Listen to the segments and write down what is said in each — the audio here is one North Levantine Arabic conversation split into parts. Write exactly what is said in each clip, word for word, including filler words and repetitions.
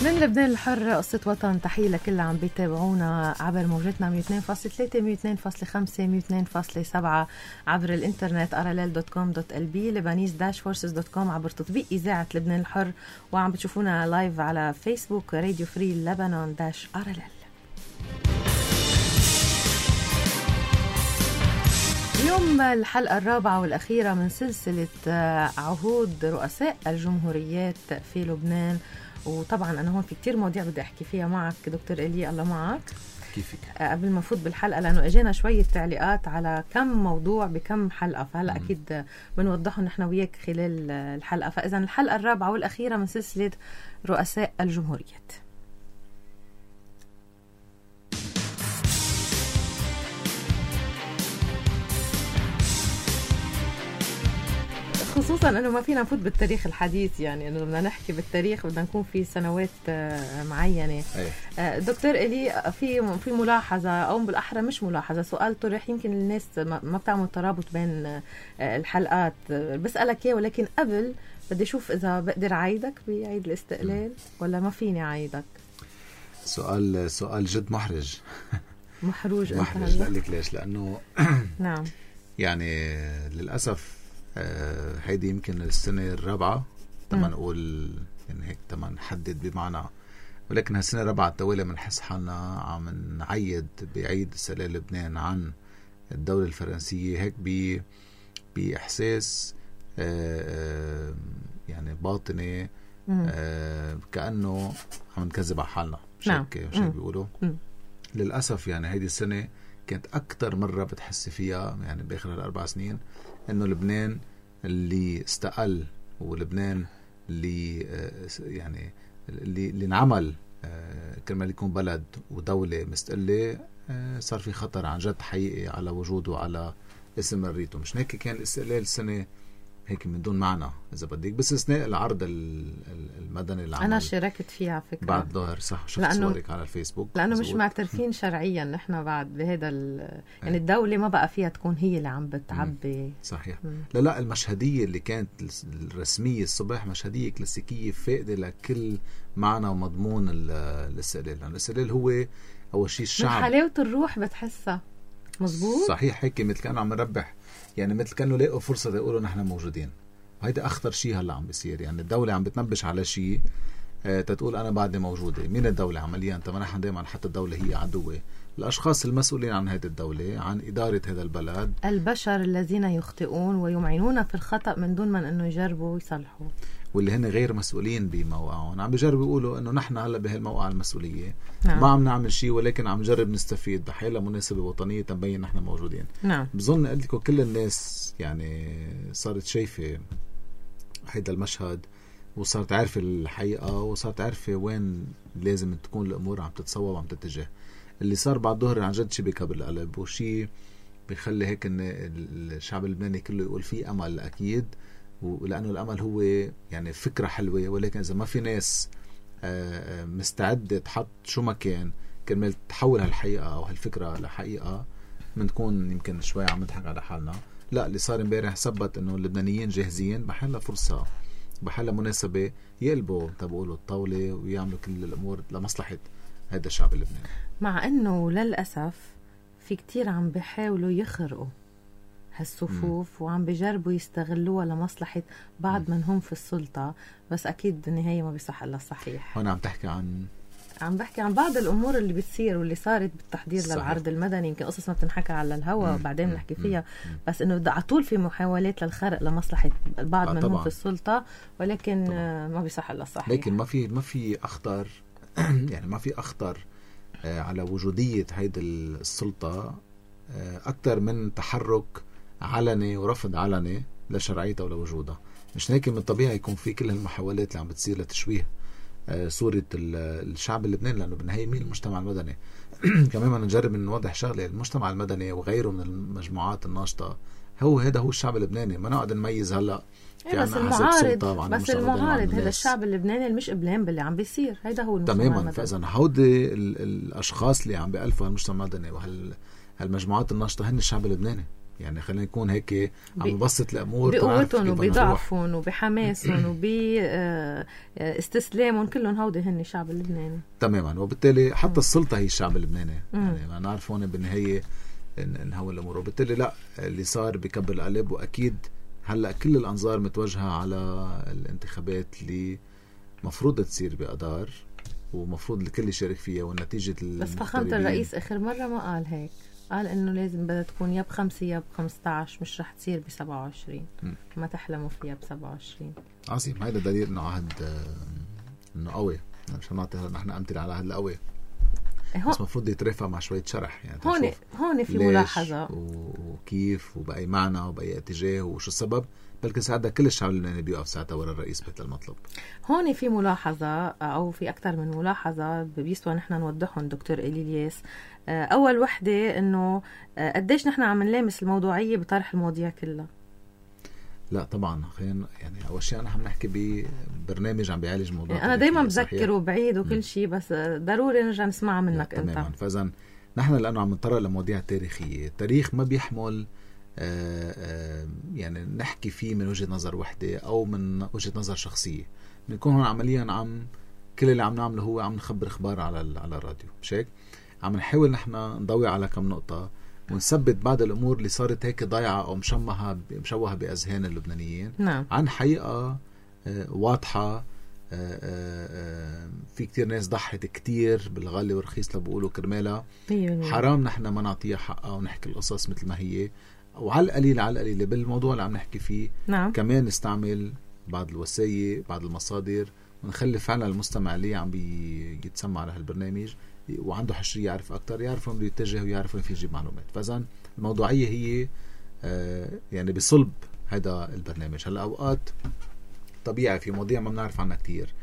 من لبنان الحر قصة وطن، تحية لكل عم بيتابعونا عبر موجتنا مية واثنين فاصلة ثلاثة مية واثنين فاصلة خمسة مية واثنين فاصلة سبعة عبر الانترنت اراليل دوت كوم دوت ال بي لبنانيز داش فورسز دوت كوم عبر تطبيق إذاعة لبنان الحر، وعم بتشوفونا لايف على فيسبوك راديو فري لبنان داش اراليل. اليوم الحلقة الرابعة والأخيرة من سلسلة عهود رؤساء الجمهوريات في لبنان، وطبعا أنا هون في كتير مواضيع بدي أحكي فيها معك دكتور إيلي. الله معك. كيفك؟ قبل ما نفوت بالحلقة لأنه أجينا شوية تعليقات على كم موضوع بكم حلقة، فهلأ أكيد بنوضحهم نحن وياك خلال الحلقة. فإذا الحلقة الرابعة والأخيرة من سلسلة رؤساء الجمهوريات. خصوصا انه ما فينا نفوت بالتاريخ الحديث، يعني انه بدنا نحكي بالتاريخ بدنا نكون في سنوات معينه. أيه. دكتور إلي، في في ملاحظه او بالاحرى مش ملاحظه، سؤال طرح يمكن الناس ما بتعمل ترابط بين الحلقات، بسالك اياه ولكن قبل بدي اشوف اذا بقدر اعيدك بعيد الاستقلال ولا ما فيني اعيدك. سؤال سؤال جد محرج. محروج محرج. لك ليش؟ لانه نعم يعني للاسف آه هيدي يمكن السنة الرابعة تما نقول يعني هيك تما نحدد بمعنى، ولكن هالسنة الرابعة التوالي بنحس حالنا عم نعيد بعيد استقلال لبنان عن الدولة الفرنسية، هيك ب بإحساس آه يعني باطني، آه كأنه عم نكذب على حالنا. مش هيك مش هيك بيقولوا. للأسف يعني هيدي السنة كانت أكتر مرة بتحس فيها يعني بآخر هالأربع سنين إنه لبنان اللي استقل ولبنان اللي يعني اللي اللي انعمل كرمال يكون بلد ودولة مستقلة صار في خطر عن جد حقيقي على وجوده وعلى استمراريته. مش هيك كان الاستقلال السنة هيك من دون معنى إذا بدك، بس استثناء العرض المدني اللي أنا شاركت فيه على فكرة بعد ظهر. صح، شفت صورك على الفيسبوك. لأنه مش معترفين شرعيا نحن بعد بهذا يعني الدولة ما بقى فيها تكون هي اللي عم بتعبي. صحيح. مم. لا لا المشهدية اللي كانت الرسمية الصبح مشهدية كلاسيكية فاقدة لكل معنى ومضمون الاستقلال. يعني الاستقلال هو أول شيء الشعب، من حلاوة الروح بتحسها. مزبوط. صحيح. هيك مثل كانوا عم نربح، يعني مثل كانوا لاقوا فرصة يقولوا نحن موجودين. وهيدا أخطر شيء هلا عم بيصير. يعني الدولة عم بتنبش على شيء آه تتقول أنا بعدي موجودة. مين الدولة عمليا؟ طبعا نحن دائما حتى الدولة هي عدوة. الأشخاص المسؤولين عن هذه الدولة، عن إدارة هذا البلد، البشر الذين يخطئون ويمعنون في الخطأ من دون من أنه يجربوا ويصلحوا، واللي هن غير مسؤولين بموقعهم. عم بيجربوا يقولوا أنه نحن هلا بهالموقع المسؤولية. نعم. ما عم نعمل شيء ولكن عم نجرب نستفيد بحيلة مناسبة وطنية تنبين نحن موجودين. نعم. بظن قلت لكم كل الناس يعني صارت شايفة هيدا المشهد وصارت عارفة الحقيقة وصارت عارفة وين لازم تكون الأمور عم تتصوب وعم تتجه. اللي صار بعد ظهر عن جد شيء بكبر القلب وشيء بيخلي هيك ان الشعب اللبناني كله يقول فيه امل اكيد، ولانه الامل هو يعني فكره حلوه، ولكن اذا ما في ناس مستعده تحط شو ما كان كرمال تحول هالحقيقه او هالفكره لحقيقه، بنكون يمكن شوي عم نضحك على حالنا. لا، اللي صار امبارح ثبت انه اللبنانيين جاهزين بحالها فرصه بحالها مناسبه يقلبوا تبقولوا الطاوله ويعملوا كل الامور لمصلحه هذا الشعب اللبناني. مع انه للاسف في كتير عم بيحاولوا يخرقوا هالصفوف م. وعم بيجربوا يستغلوها لمصلحة بعض من هم في السلطة، بس اكيد النهاية ما بيصح الا الصحيح. هون عم تحكي عن عم بحكي عن بعض الامور اللي بتصير واللي صارت بالتحضير صحيح. للعرض المدني، يمكن قصص ما بتنحكى على الهواء بعدين نحكي فيها، مم. بس انه على طول في محاولات للخرق لمصلحة البعض من هم في السلطة، ولكن طبعا. ما بيصح الا الصحيح. لكن ما في ما في اخطر يعني ما في اخطر على وجودية هيدي السلطة أكثر من تحرك علني ورفض علني لشرعيتها ولا وجودها. مش هيك من الطبيعي يكون في كل هالمحاولات اللي عم بتصير لتشويه صورة الشعب اللبناني، لأنه بالنهاية مين المجتمع المدني. كمان ما نجرب نوضح شغلة، المجتمع المدني وغيره من المجموعات الناشطة هو هذا هو الشعب اللبناني. ما نقعد نميز هلا بس المعارض بس المعارض هذا الشعب اللبناني اللي مش قبلان باللي عم بيصير، هيدا هو المجتمع تماما المدني. فإذا هودي الأشخاص اللي عم بيألفوا هالمجتمع المدني وهالمجموعات الناشطة هن الشعب اللبناني، يعني خلينا نكون هيك عم نبسط الامور بقوتهم وبضعفهم وبحماسهم وباستسلامهم كلهم هودي هن الشعب اللبناني تماما. وبالتالي حتى السلطه هي الشعب اللبناني يعني ما نعرف هون بالنهايه نهول الامور. وبالتالي لا اللي صار بكب القلب. واكيد هلا كل الانظار متوجهه على الانتخابات اللي مفروض تصير بأدار ومفروض الكل يشارك فيها والنتيجه. بس فخامه الرئيس اخر مره ما قال هيك، قال انه لازم بدها تكون يا بخمسة يا بخمستعش، مش رح تصير بسبعة وعشرين. ما تحلموا فيها بسبعة وعشرين. عظيم. هيدا دليل انه عهد انه قوي. مش هنعطي نحن امثله على عهد القوي بس مفروض يترافع مع شويه شرح. يعني هون هون في ملاحظه وكيف وباي معنى وباي اتجاه وشو السبب. بلكن ساعتها كل الشعب اللبناني بيوقف ساعتها ورا الرئيس بهذا المطلب. هون في ملاحظه او في اكثر من ملاحظه بيسوى نحن نوضحهم دكتور إلياس. اول وحده انه قديش نحن عم نلامس الموضوعيه بطرح المواضيع كلها. لا طبعا خلينا يعني اول شيء انا عم نحكي ببرنامج عم بيعالج موضوع. انا دايما بذكر وبعيد وكل شيء بس ضروري نرجع نسمعها منك انت. تماما. فاذا نحن لانه عم نطرق لمواضيع تاريخيه، التاريخ ما بيحمل آآ آآ يعني نحكي فيه من وجهة نظر وحدة أو من وجهة نظر شخصية. بنكون هون عمليا عم كل اللي عم نعمله هو عم نخبر إخبار على على الراديو. مش هيك؟ عم نحاول نحن نضوي على كم نقطة ونثبت بعض الأمور اللي صارت هيك ضايعة أو مشمها مشوهة بأذهان اللبنانيين. نعم. عن حقيقة واضحة. في كتير ناس ضحت كتير بالغالي والرخيص لبقولوا كرمالها. حرام نحن ما نعطيها حقها ونحكي القصص مثل ما هي. وعلى القليل على القليل بالموضوع اللي عم نحكي فيه. نعم. كمان نستعمل بعض الوسائل بعض المصادر ونخلي فعلا المستمع اللي عم بيتسمع على هالبرنامج وعنده حشرية يعرف أكتر يعرف وين يتجه ويعرف وين في يجيب معلومات. فإذا الموضوعية هي آه يعني بصلب هذا البرنامج. هلا أوقات طبيعي في مواضيع ما بنعرف عنها كتير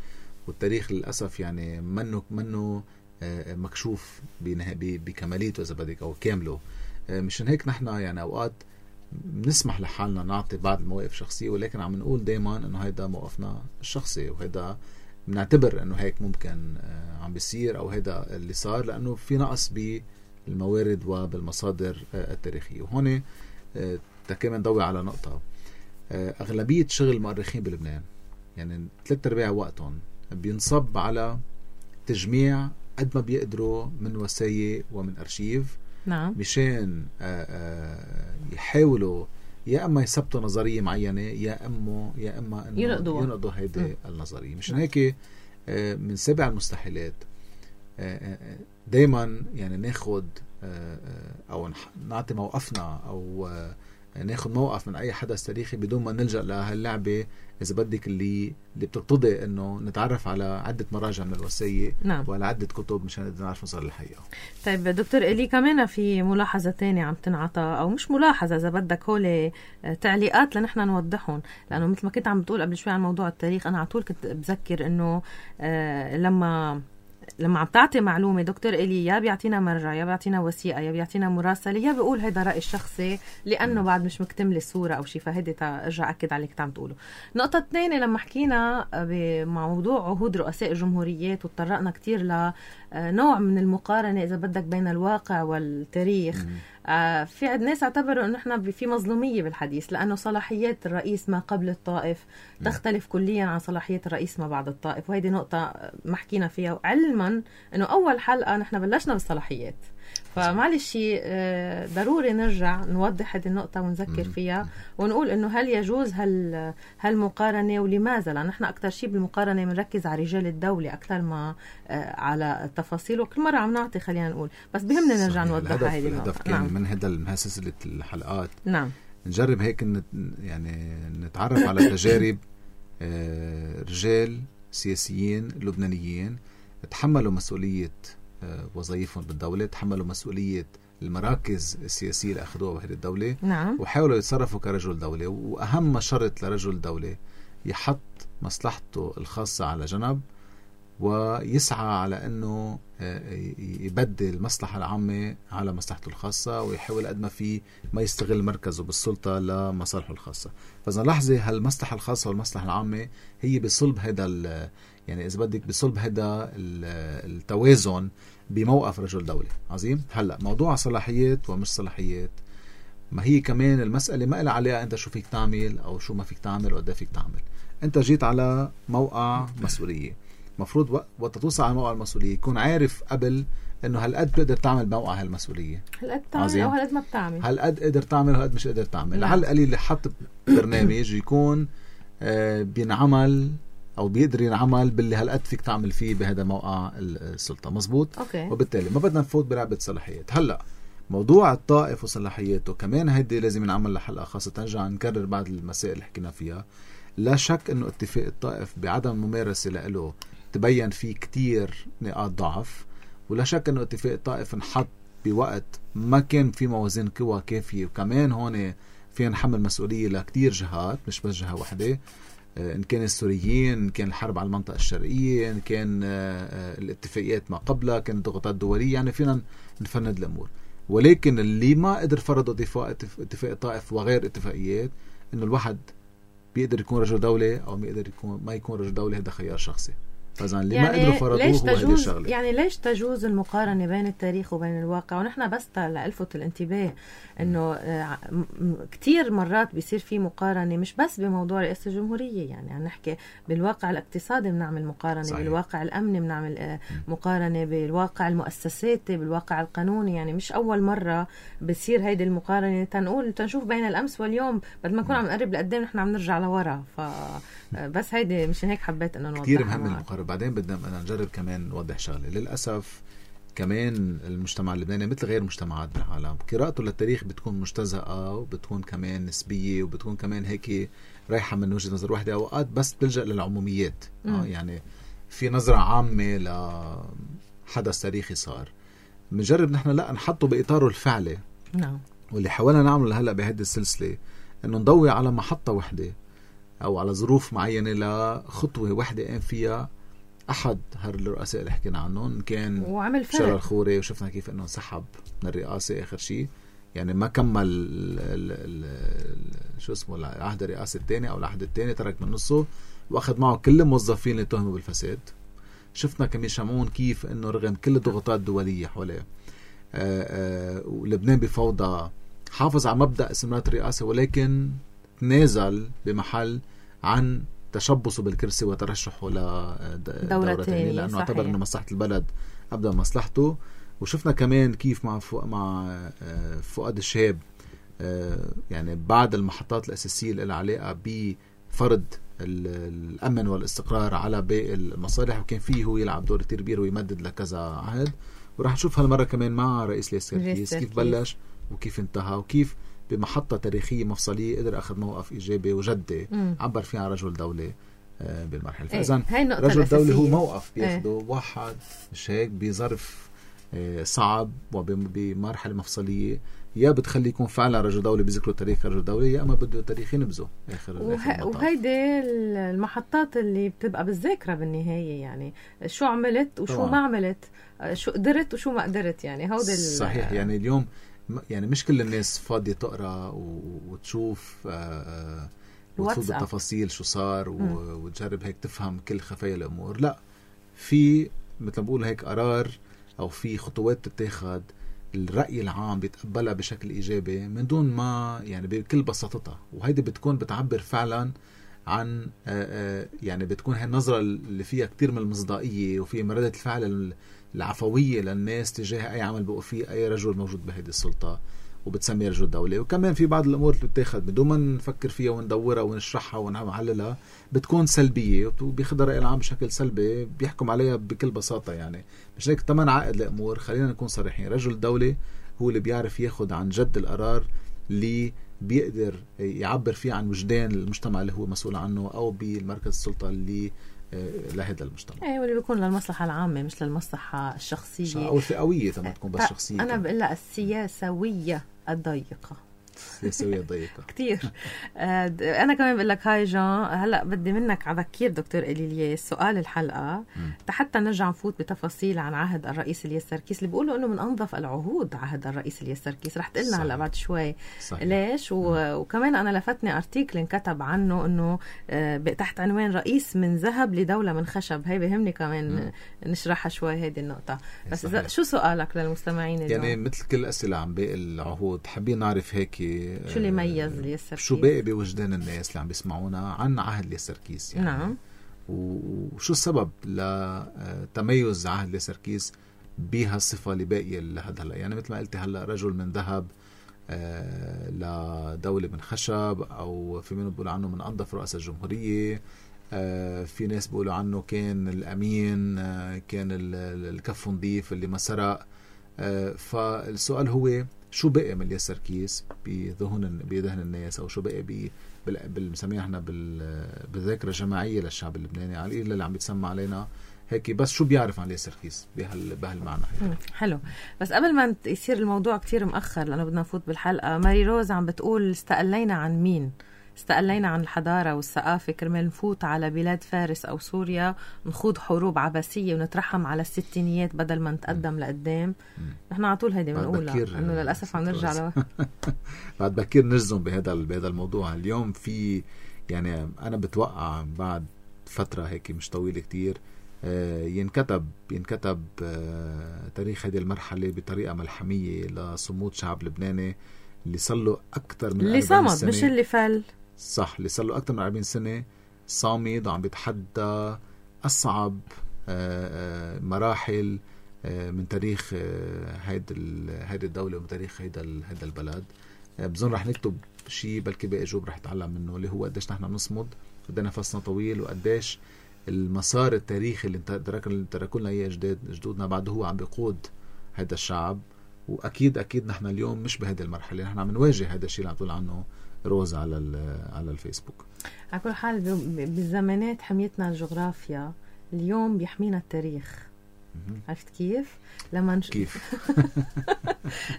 والتاريخ للأسف يعني منه منه آه مكشوف بكماليته إذا بدك أو كامله. مشان هيك نحن يعني أوقات بنسمح لحالنا نعطي بعض المواقف شخصية ولكن عم نقول دايما إنه هيدا موقفنا الشخصي وهيدا بنعتبر إنه هيك ممكن عم بيصير أو هيدا اللي صار لأنه في نقص بالموارد وبالمصادر التاريخية. وهون تكمن نضوي على نقطة. أغلبية شغل المؤرخين بلبنان يعني ثلاث أرباع وقتهم بينصب على تجميع قد ما بيقدروا من وسائل ومن أرشيف. نعم. مشان يحاولوا يا اما يثبتوا نظريه معينه يا اما يا اما انه ينقضوا ينقضوا هيدي النظريه. مشان هيك من سبع المستحيلات دائما يعني ناخد او نعطي موقفنا او ناخد موقف من اي حدث تاريخي بدون ما نلجأ لهاللعبه اذا بدك اللي اللي بتقتضي انه نتعرف على عده مراجع من الوثائق. نعم. وعلى عده كتب مشان نقدر نعرف نصل للحقيقه. طيب دكتور إلي كمان في ملاحظه ثانيه عم تنعطى او مش ملاحظه اذا بدك هول تعليقات لنحن نوضحهم لانه مثل ما كنت عم بتقول قبل شوي عن موضوع التاريخ انا على طول كنت بذكر انه آه لما لما عم تعطي معلومة دكتور إلي يا بيعطينا مرجع يا بيعطينا وثيقة يا بيعطينا مراسلة يا بيقول هيدا رأي الشخصي لأنه بعد مش مكتمل الصورة أو شيء. فهيدي ارجع أكد عليك عم تقوله. نقطة الثانية لما حكينا بموضوع عهود رؤساء الجمهوريات وتطرقنا كتير لنوع من المقارنة إذا بدك بين الواقع والتاريخ. آه في عد ناس اعتبروا انه احنا في مظلوميه بالحديث لانه صلاحيات الرئيس ما قبل الطائف تختلف كليا عن صلاحيات الرئيس ما بعد الطائف. وهيدي نقطه ما حكينا فيها علما انه اول حلقه نحن بلشنا بالصلاحيات. فمعلش آه ضروري نرجع نوضح هذه النقطه ونذكر فيها ونقول انه هل يجوز هل هالمقارنه ولماذا. لان نحن اكثر شيء بالمقارنه بنركز على رجال الدوله اكثر ما آه على التفاصيل وكل مره عم نعطي خلينا نقول بس بهمنا نرجع نوضح هذه النقطه. الهدف كان نعم. من هذا من سلسله الحلقات نعم نجرب هيك يعني نتعرف على تجارب رجال سياسيين لبنانيين تحملوا مسؤوليه وظائفهم بالدوله، تحملوا مسؤوليه المراكز السياسيه اللي اخذوها بهذه الدوله. نعم. وحاولوا يتصرفوا كرجل دوله. واهم شرط لرجل دوله يحط مصلحته الخاصه على جنب ويسعى على أنه يبدل المصلحة العامة على مصلحته الخاصة ويحاول قد ما فيه ما يستغل مركزه بالسلطة لمصالحه الخاصة. فإذا لحظة هالمصلحة الخاصة والمصلحة العامة هي بصلب هذا يعني إذا بدك بصلب هذا التوازن بموقف رجل دولة. عظيم. هلأ موضوع صلاحيات ومش صلاحيات ما هي كمان المسألة ما إلها عليها أنت شو فيك تعمل أو شو ما فيك تعمل وقد فيك تعمل. أنت جيت على موقع مسؤولية، مفروض وقت توصل على موقع المسؤولية يكون عارف قبل إنه هالقد بتقدر تعمل موقع هالمسؤولية، هالقد تعمل أو هالقد ما بتعمل، هالقد قدر تعمل وهالقد مش قدر تعمل. على القليل اللي حط برنامج يكون آه بينعمل أو بيقدر ينعمل باللي هالقد فيك تعمل فيه بهذا موقع السلطة. مزبوط. أوكي. وبالتالي ما بدنا نفوت بلعبة صلاحيات. هلأ موضوع الطائف وصلاحياته كمان هيدي لازم نعمل لحلقة خاصة، نرجع نكرر بعض المسائل اللي حكينا فيها. لا شك انه اتفاق الطائف بعدم ممارسة له تبين فيه كتير نقاط ضعف، ولا شك انه اتفاق الطائف انحط بوقت ما كان في موازين قوى كافية، وكمان هون فينا نحمل مسؤولية لكتير جهات مش بس جهة واحدة، إن كان السوريين، إن كان الحرب على المنطقة الشرقية، إن كان الاتفاقيات ما قبلها، كان الضغوطات الدولية، يعني فينا نفند الأمور. ولكن اللي ما قدر فرضوا اتفاق الطائف وغير اتفاقيات إنه الواحد بيقدر يكون رجل دولة أو ما يقدر يكون ما يكون رجل دولة، هذا خيار شخصي. فإذا اللي يعني ما قدروا فرضوه هو هذه الشغلة. يعني ليش تجوز المقارنة بين التاريخ وبين الواقع؟ ونحن بس لألفت الانتباه إنه كتير مرات بيصير في مقارنة مش بس بموضوع رئاسة الجمهورية، يعني عم نحكي بالواقع الاقتصادي بنعمل مقارنة، صحيح. بالواقع الأمني بنعمل مقارنة، بالواقع المؤسساتي، بالواقع القانوني. يعني مش أول مرة بيصير هيدي المقارنة تنقول تنشوف بين الأمس واليوم، بدل ما نكون عم نقرب لقدام نحن عم نرجع لورا. فبس هيدي مشان هيك حبيت إنه نوضحها. كتير مهم المقارنة. بعدين بدنا نجرب كمان نوضح شغله. للاسف كمان المجتمع اللبناني مثل غير مجتمعات بالعالم قراءته للتاريخ بتكون مجتزأة وبتكون كمان نسبيه وبتكون كمان هيك رايحه من وجهه نظر واحده، اوقات بس تلجأ للعموميات. آه يعني في نظره عامه لحدث تاريخي صار، بنجرب نحن لا نحطه باطاره الفعلي. نعم. واللي حاولنا نعمله هلا بهذه السلسله انه نضوي على محطه واحده او على ظروف معينه لخطوه واحده قام فيها أحد هالرؤساء اللي حكينا عنهم، كان شرى الخوري، وشفنا كيف أنه سحب من الرئاسة آخر شيء، يعني ما كمل ال ال ال شو اسمه العهد الرئاسي الثاني أو العهد الثاني، ترك من نصه وأخذ معه كل الموظفين اللي تهموا بالفساد. شفنا كمية شمعون كيف أنه رغم كل الضغوطات الدولية حواليه ولبنان بفوضى حافظ على مبدأ استمرار الرئاسة، ولكن تنازل بمحل عن تشبصوا بالكرسي وترشحوا لدورة تانية، لأنه اعتبر أنه مصلحة البلد أبدأ مصلحته. وشفنا كمان كيف مع مع فؤاد الشهاب يعني بعد المحطات الأساسية اللي لها علاقة بفرض الأمن والاستقرار على باقي المصالح، وكان فيه هو يلعب دور كتير كبير ويمدد لكذا عهد. وراح نشوف هالمرة كمان مع رئيس اليساركيس كيف بلش وكيف انتهى، وكيف بمحطة تاريخية مفصلية قدر أخذ موقف إيجابي وجدي عبر فيها عن رجل دولة بالمرحلة. فإذن رجل دولة هو موقف بياخده ايه. واحد مش هيك بظرف صعب وبمرحلة مفصلية، يا بتخلي يكون فعلا رجل دولة بذكره تاريخ رجل دولة، يا أما بده تاريخ ينبذه آخر. وه... وهيدي المحطات اللي بتبقى بالذاكرة بالنهاية، يعني شو عملت وشو طبعا. ما عملت، شو قدرت وشو ما قدرت، يعني هودي صحيح. يعني اليوم يعني مش كل الناس فاضية تقرأ وتشوف وتفوت بالتفاصيل شو صار وتجرب هيك تفهم كل خفايا الأمور. لا، في مثل بقول هيك قرار أو في خطوات تتاخد الرأي العام بيتقبلها بشكل إيجابي من دون ما يعني بكل بساطتها، وهيدي بتكون بتعبر فعلا عن يعني بتكون هاي النظرة اللي فيها كتير من المصداقية وفي مردة الفعل العفوية للناس تجاه أي عمل بقوا فيه أي رجل موجود بهذه السلطة وبتسمي رجل دولة. وكمان في بعض الأمور اللي بتاخد بدون ما نفكر فيها وندورها ونشرحها ونعللها بتكون سلبية وبياخدها الرأي العام بشكل سلبي بيحكم عليها بكل بساطة. يعني مش هيك تمن عقد الأمور. خلينا نكون صريحين، رجل دولة هو اللي بيعرف ياخد عن جد القرار اللي بيقدر يعبر فيه عن وجدان المجتمع اللي هو مسؤول عنه أو بالمركز السلطة اللي لهذا المجتمع. ايه، واللي بيكون للمصلحة العامة مش للمصلحة الشخصية أو الفئوية تما تكون بس شخصية. أنا بقول لها السياسوية الضيقة. السياسوية الضيقة كتير. أنا كمان بقول لك هاي جان، هلأ بدي منك على ذكير دكتور إلياس سؤال الحلقة حتى نرجع نفوت بتفاصيل عن عهد الرئيس اليساركيس اللي بيقولوا إنه من أنظف العهود عهد الرئيس اليساركيس. رح تقلنا هلأ بعد شوي صحيح. ليش و... وكمان أنا لفتني أرتيكل انكتب عنه إنه تحت عنوان رئيس من ذهب لدولة من خشب. هاي بهمني كمان م. نشرحها شوي هذه النقطة. بس إذا شو سؤالك للمستمعين يعني اليوم؟ مثل كل أسئلة عن باقي العهود حابين نعرف هيك نحكي شو اللي ميز ليا سركيس؟ شو باقي بوجدان الناس اللي عم بيسمعونا عن عهد ليا سركيس يعني. نعم. وشو السبب لتميز عهد ليا سركيس بهالصفة اللي باقية لهذا هلا؟ يعني مثل ما قلت هلا رجل من ذهب آه لدولة من خشب، أو في منهم بيقولوا عنه من أنظف رؤساء الجمهورية، آه في ناس بيقولوا عنه كان الأمين، آه كان الكف نظيف اللي ما سرق. آه فالسؤال هو شو بقي من ليا سركيس بذهن بذهن الناس، أو شو بقي بي بالمسميه احنا بالذاكرة الجماعية للشعب اللبناني على القليل اللي عم بيتسمى علينا هيك، بس شو بيعرف عن ليا سركيس بهال بهالمعنى. حلو. بس قبل ما يصير الموضوع كتير مأخر لأنه بدنا نفوت بالحلقة، ماري روز عم بتقول استقلينا عن مين؟ استقلينا عن الحضارة والثقافة كرمال نفوت على بلاد فارس أو سوريا، نخوض حروب عباسية ونترحم على الستينيات بدل ما نتقدم لقدام. نحن على طول هيدي بنقولها إنه للأسف عم نرجع له. بعد بكير نجزم بهذا بهذا الموضوع. اليوم في يعني أنا بتوقع بعد فترة هيك مش طويلة كتير ينكتب ينكتب تاريخ هذه المرحلة بطريقة ملحمية لصمود شعب لبناني اللي صار له أكثر من اللي صمد مش اللي فل. صح، اللي صار له أكثر من أربعين سنة صامد وعم بيتحدى أصعب مراحل من تاريخ هيدا هيدا الدولة ومن تاريخ هيدا هيدا البلد. بظن رح نكتب شيء بلكي باقي جوب رح يتعلم منه، اللي هو قديش نحن نصمد قديش نفسنا طويل، وقديش المسار التاريخي اللي تركوا لنا اياه جداد جدودنا بعده هو عم بيقود هذا الشعب. واكيد اكيد نحن اليوم مش بهذه المرحله، نحن عم نواجه هذا الشيء اللي عم تقول عنه روز على على الفيسبوك. على كل حال بالزمانات حميتنا الجغرافيا، اليوم بيحمينا التاريخ. عرفت كيف؟ لما نش... كيف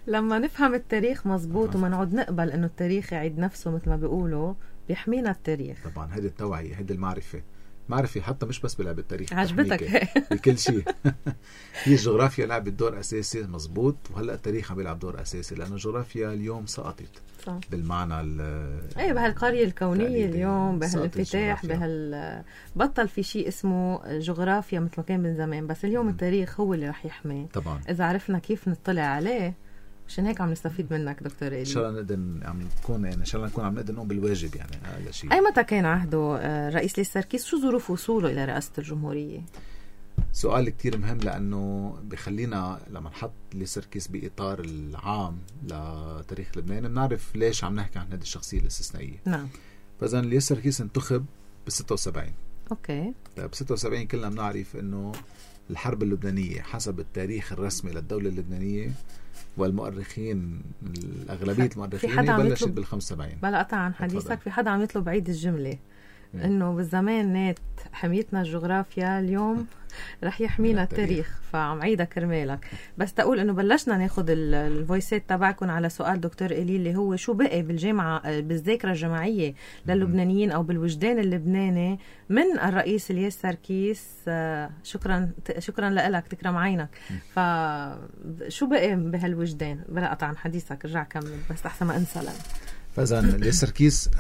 لما نفهم التاريخ مزبوط وما نقعد نقبل انه التاريخ يعيد نفسه مثل ما بيقولوا، بيحمينا التاريخ. طبعا هذه التوعية، هذه المعرفة، معرفة حتى مش بس بلعب التاريخ، عجبتك بكل شيء. هي الجغرافيا لعبت دور أساسي مزبوط، وهلأ التاريخ عم بيلعب دور أساسي، لأنه الجغرافيا اليوم سقطت صح. بالمعنى اي بهالقرية الكونية اليوم، بهالانفتاح، بهال بطل في شيء اسمه جغرافيا مثل ما كان من زمان، بس اليوم م. التاريخ هو اللي رح يحمي طبعا إذا عرفنا كيف نطلع عليه. عشان هيك عم نستفيد منك دكتور إلي. ان شاء الله نقدر عم نكون يعني ان شاء الله نكون عم نقدر نقوم بالواجب يعني هذا شيء. اي متى كان عهده رئيس ليا سركيس؟ شو ظروف وصوله الى رئاسة الجمهورية؟ سؤال كتير مهم، لانه بخلينا لما نحط ليا سركيس باطار العام لتاريخ لبنان بنعرف ليش عم نحكي عن هذه الشخصية الاستثنائية. نعم. فاذا ليا سركيس انتخب ب ستة وسبعين. اوكي. ب ستة وسبعين كلنا بنعرف انه الحرب اللبنانية حسب التاريخ الرسمي للدولة اللبنانية والمؤرخين الأغلبية المؤرخين بلشت بالخمسة وسبعين. بلا قطع عن حديثك، في حدا عم يطلب عيد الجملة إنه بالزمان نات حميتنا الجغرافيا، اليوم رح يحمينا التاريخ، فعم عيدها كرمالك. بس تقول إنه بلشنا ناخد الفويسات تبعكم على سؤال دكتور إلي اللي هو شو بقي بالجامعة بالذاكرة الجماعية للبنانيين أو بالوجدان اللبناني من الرئيس ليا سركيس. شكرا شكرا لك، تكرم عينك. فشو بقي بهالوجدان؟ بلا قطع عن حديثك، رجع كمل بس أحسن ما أنسى لنا. فإذا ليا سركيس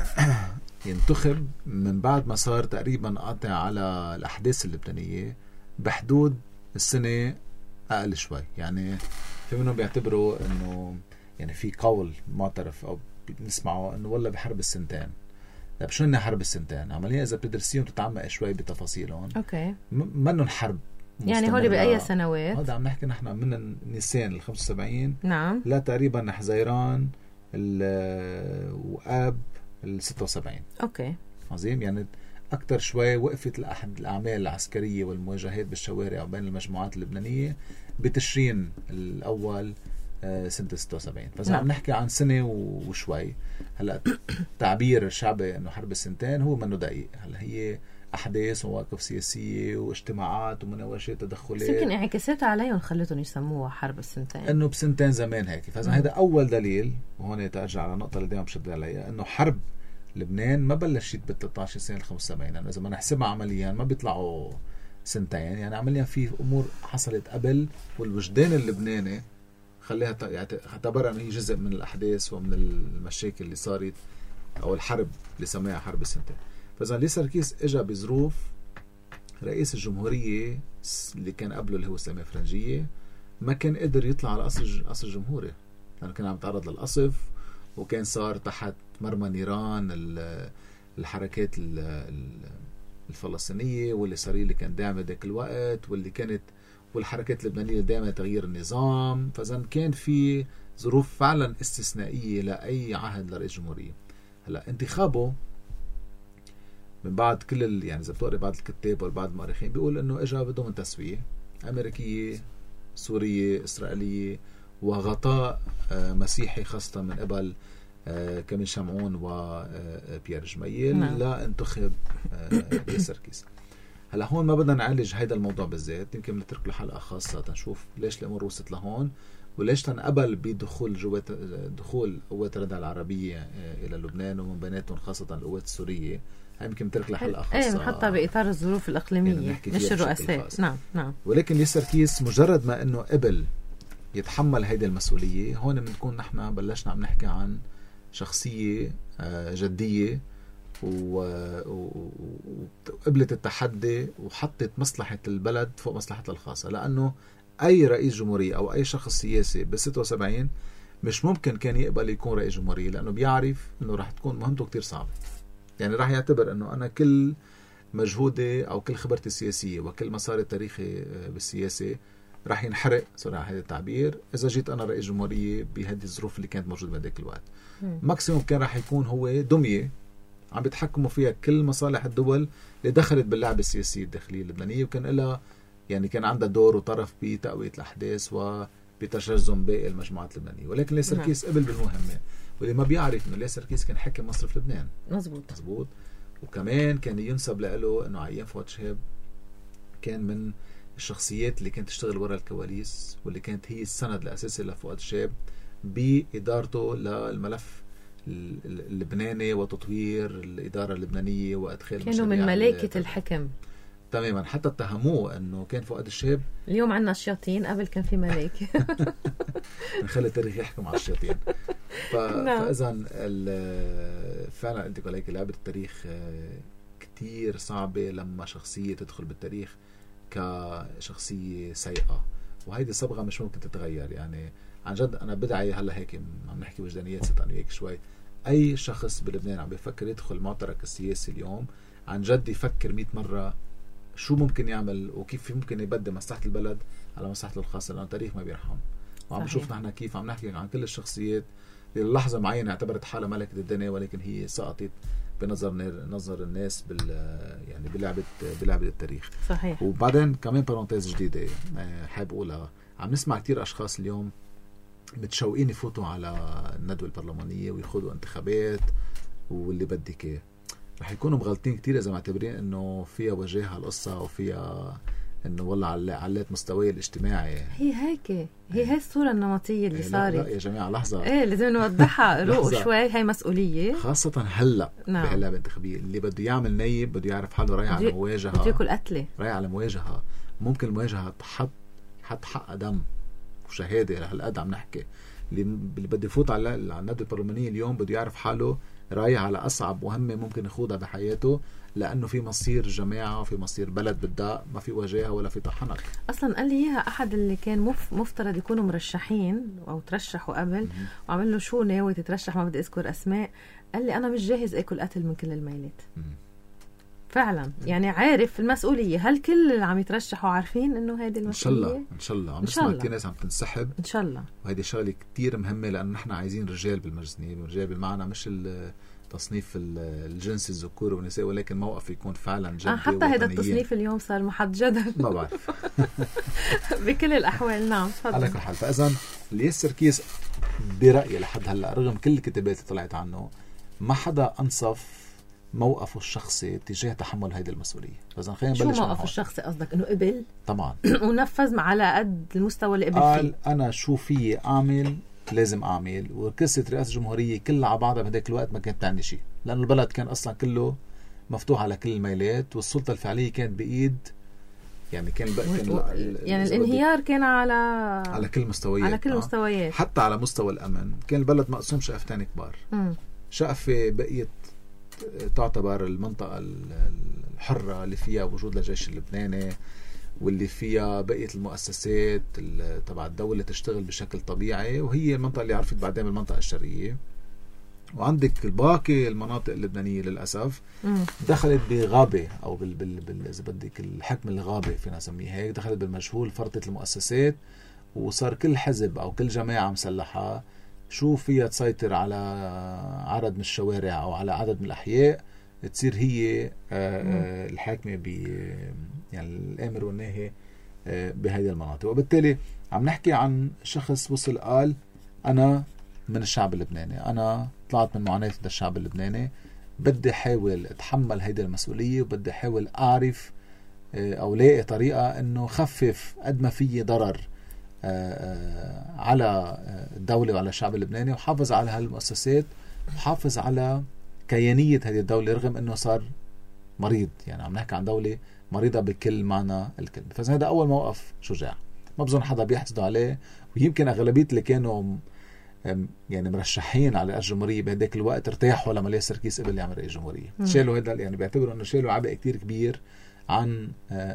ينتخب من بعد ما صار تقريبا قاطع على الأحداث اللبنانية بحدود السنة أقل شوي. يعني في منهم بيعتبروا أنه يعني في قول معترف أو بنسمعه أنه والله بحرب السنتين. طيب شو إنها حرب السنتين؟ عمليا إذا بتدرسيهم تتعمق شوي بتفاصيلهم أوكي منهم حرب يعني هولي بأي سنوات؟ هذا عم نحكي نحن من نيسان ال خمسة وسبعين نعم لا تقريبا حزيران وآب ال ستة وسبعين. اوكي عظيم. يعني اكثر شوي وقفت الاحد الاعمال العسكريه والمواجهات بالشوارع وبين المجموعات اللبنانيه بتشرين الاول سنه ستة وسبعين. فاذا عم نحكي عن سنه وشوي. هلا تعبير الشعبي انه حرب السنتين هو منه دقيق. هلا هي احداث ومواقف سياسيه واجتماعات ومناوشات تدخلات، يمكن انعكاسات عليهم خلتهم يسموها حرب السنتين، انه بسنتين زمان هيك. فاذا هذا اول دليل، وهون ترجع على النقطه اللي دائما بشد عليها، انه حرب لبنان ما بلشت بال ثلاثة عشر سنه ال خمسة وسبعين. يعني اذا ما نحسبها عمليا ما بيطلعوا سنتين. يعني عمليا في امور حصلت قبل، والوجدان اللبناني خليها اعتبرها انه هي جزء من الاحداث ومن المشاكل اللي صارت او الحرب اللي سماها حرب السنتين. فإذا ليا سركيس اجى بظروف رئيس الجمهورية اللي كان قبله اللي هو سامي فرنجية ما كان قدر يطلع على قصر قصر الجمهوري، لأنه كان عم يتعرض للقصف وكان صار تحت مرمى نيران الحركات الفلسطينية، واللي إسرائيل اللي كان داعمة ذاك الوقت، واللي كانت والحركات اللبنانية داعمة تغيير النظام. فإذا كان في ظروف فعلا استثنائية لأي عهد لرئيس جمهورية. هلا انتخابه من بعد كل ال... يعني إذا بتقرأ بعض الكتاب وبعض المؤرخين بيقول إنه إجا بده من تسوية أمريكية سورية إسرائيلية وغطاء مسيحي خاصة من قبل كامل شمعون وبيير جميل نعم. لا انتخب ياسر كيس. هلا هون ما بدنا نعالج هيدا الموضوع بالذات، يمكن نترك له حلقة خاصة تنشوف ليش الأمور وصلت لهون وليش تنقبل بدخول جوات دخول قوات الردع العربية إلى لبنان ومن بيناتهم خاصة القوات السورية. هاي يمكن نترك له حلقة خاصة ايه حتى بإطار الظروف الإقليمية يعني مش الرؤساء. نعم نعم. ولكن ياسر كيس مجرد ما إنه قبل يتحمل هيدي المسؤولية، هون بنكون نحن بلشنا عم نحكي عن شخصية جدية وقبلت التحدي وحطت مصلحة البلد فوق مصلحتها الخاصة. لأنه أي رئيس جمهورية أو أي شخص سياسي بالستة وسبعين مش ممكن كان يقبل يكون رئيس جمهورية، لأنه بيعرف أنه راح تكون مهمته كتير صعبة. يعني راح يعتبر أنه أنا كل مجهودي أو كل خبرتي السياسية وكل مسار التاريخي بالسياسة راح ينحرق صراحة هذا التعبير إذا جيت أنا رئيس جمهورية بهذه الظروف اللي كانت موجودة بهذاك الوقت. ماكسيموم كان راح يكون هو دمية عم بيتحكموا فيها كل مصالح الدول اللي دخلت باللعبة السياسية الداخلية اللبنانية، وكان لها يعني كان عندها دور وطرف بتقوية الأحداث وبتجزم باقي المجموعات اللبنانية. ولكن ياسر كيس قبل بالمهمة، واللي ما بيعرف إنه ياسر كيس كان حاكم مصرف لبنان. مزبوط مزبوط. وكمان كان ينسب له إنه عيان فؤاد شهاب كان من الشخصيات اللي كانت تشتغل وراء الكواليس، واللي كانت هي السند الأساسي لفؤاد شهاب بإدارته للملف اللبناني وتطوير الإدارة اللبنانية وأدخال كانوا من ملائكة الحكم تماما. حتى اتهموه أنه كان فؤاد الشهاب اليوم عنا الشياطين، قبل كان في ملائكة. نخلي التاريخ يحكم على الشياطين. ف... فإذا فعلا أنت عليك لعبة التاريخ كتير صعبة لما شخصية تدخل بالتاريخ كشخصية سيئة، وهيدي صبغة مش ممكن تتغير. يعني عن جد أنا بدعي هلا هيك عم نحكي وجدانيات ست أنا وياك شوي، أي شخص بلبنان عم بيفكر يدخل المعترك السياسي اليوم عن جد يفكر مئة مرة شو ممكن يعمل وكيف ممكن يبدل مصلحة البلد على مصلحته الخاصة، لأن التاريخ ما بيرحم. وعم بشوف نحن كيف عم نحكي عن كل الشخصيات اللي للحظة معينة اعتبرت حالها ملكة الدنيا، ولكن هي سقطت بنظر نظر الناس بال يعني بلعبة بلعبة التاريخ. صحيح. وبعدين كمان بارونتيز جديدة حابب أقولها، عم نسمع كتير أشخاص اليوم متشوقين يفوتوا على الندوة البرلمانية ويخوضوا انتخابات واللي بدك اياه. رح يكونوا مغلطين كتير إذا معتبرين إنه فيها وجاهة القصة وفيها إنه والله علات مستوى الاجتماعي. هي هيك هي هي الصورة النمطية اللي صارت. لا يا جماعة لحظة، إيه لازم نوضحها روق شوي، هاي مسؤولية خاصة هلا نعم. بهاللعبة الانتخابية اللي بده يعمل نايب بده يعرف حاله رايح على مواجهة، بده ياكل قتلة، رايح على مواجهة ممكن المواجهة تحط حط حق دم وشهادة لهالقد عم نحكي. اللي اللي بده يفوت على على الندوة البرلمانية اليوم بده يعرف حاله رايح على أصعب مهمة ممكن يخوضها بحياته، لأنه في مصير جماعة وفي مصير بلد بدأ ما في وجاهة ولا في طحنك. أصلا قال لي إياها أحد اللي كان مف مفترض يكونوا مرشحين أو ترشحوا قبل، وعمل له شو ناوي تترشح ما بدي أذكر أسماء، قال لي أنا مش جاهز أكل قتل من كل الميلات. مم. فعلا مم. يعني عارف المسؤولية. هل كل اللي عم يترشحوا عارفين إنه هيدي المسؤولية؟ إن شاء الله إن شاء الله عم نسمع كتير ناس عم تنسحب إن شاء الله، وهيدي شغلة كتير مهمة لأن نحن عايزين رجال بالمجلس النيابي، رجال بالمعنى مش تصنيف الجنسي الذكور والنساء، ولكن موقف يكون فعلا جدي آه حتى هذا التصنيف اليوم صار محط جدل ما بعرف. بكل الأحوال. نعم تفضل. على كل حال، فإذا ياسر كيس برأيي لحد هلا رغم كل الكتابات اللي طلعت عنه ما حدا أنصف موقفه الشخصي تجاه تحمل هيدي المسؤولية. فإذا خلينا نبلش. شو موقفه الشخصي قصدك؟ إنه قبل طبعا ونفذ على قد المستوى اللي قبل قال فيه. أنا شو في أعمل لازم أعمل، وقصة رئاسة الجمهورية كلها على بعضها بهداك الوقت ما كانت تعني شيء، لأن البلد كان أصلا كله مفتوح على كل الميلات والسلطة الفعلية كانت بإيد يعني كان كان و... يعني الانهيار كان على على كل مستويات على كل مستويات، حتى على مستوى الأمن كان البلد مقسوم شقفتين كبار. م. شقفة بقيت تعتبر المنطقة الحرة اللي فيها وجود للجيش اللبناني واللي فيها بقية المؤسسات تبع الدولة تشتغل بشكل طبيعي، وهي المنطقة اللي عرفت بعدين المنطقة الشرقية وعندك الباقي المناطق اللبنانية للأسف دخلت بغابة أو بال بال بال إذا بدك الحكم الغابة فينا نسميه هيك، دخلت بالمجهول، فرطت المؤسسات، وصار كل حزب أو كل جماعة مسلحة شو فيها تسيطر على عدد من الشوارع أو على عدد من الأحياء تصير هي الحاكمة ب يعني الآمر والناهي بهذه المناطق. وبالتالي عم نحكي عن شخص وصل قال أنا من الشعب اللبناني، أنا طلعت من معاناة الشعب اللبناني، بدي أحاول أتحمل هيدي المسؤولية، وبدي أحاول أعرف أو لاقي طريقة أنه خفف قد ما فيه ضرر على الدولة وعلى الشعب اللبناني، وحافظ على هالمؤسسات، وحافظ على كيانية هذه الدولة رغم أنه صار مريض. يعني عم نحكي عن دولة مريضة بكل معنى الكلمة. فهذا أول موقف شجاع، ما بظن حدا بيحسدوا عليه، ويمكن أغلبية اللي كانوا يعني مرشحين على الجمهورية بهداك الوقت ارتاحوا لما ليه سركيس قبل يعمل رئيس جمهورية. شالوا هذا، يعني بيعتبروا انه شالوا عبء كتير كبير عن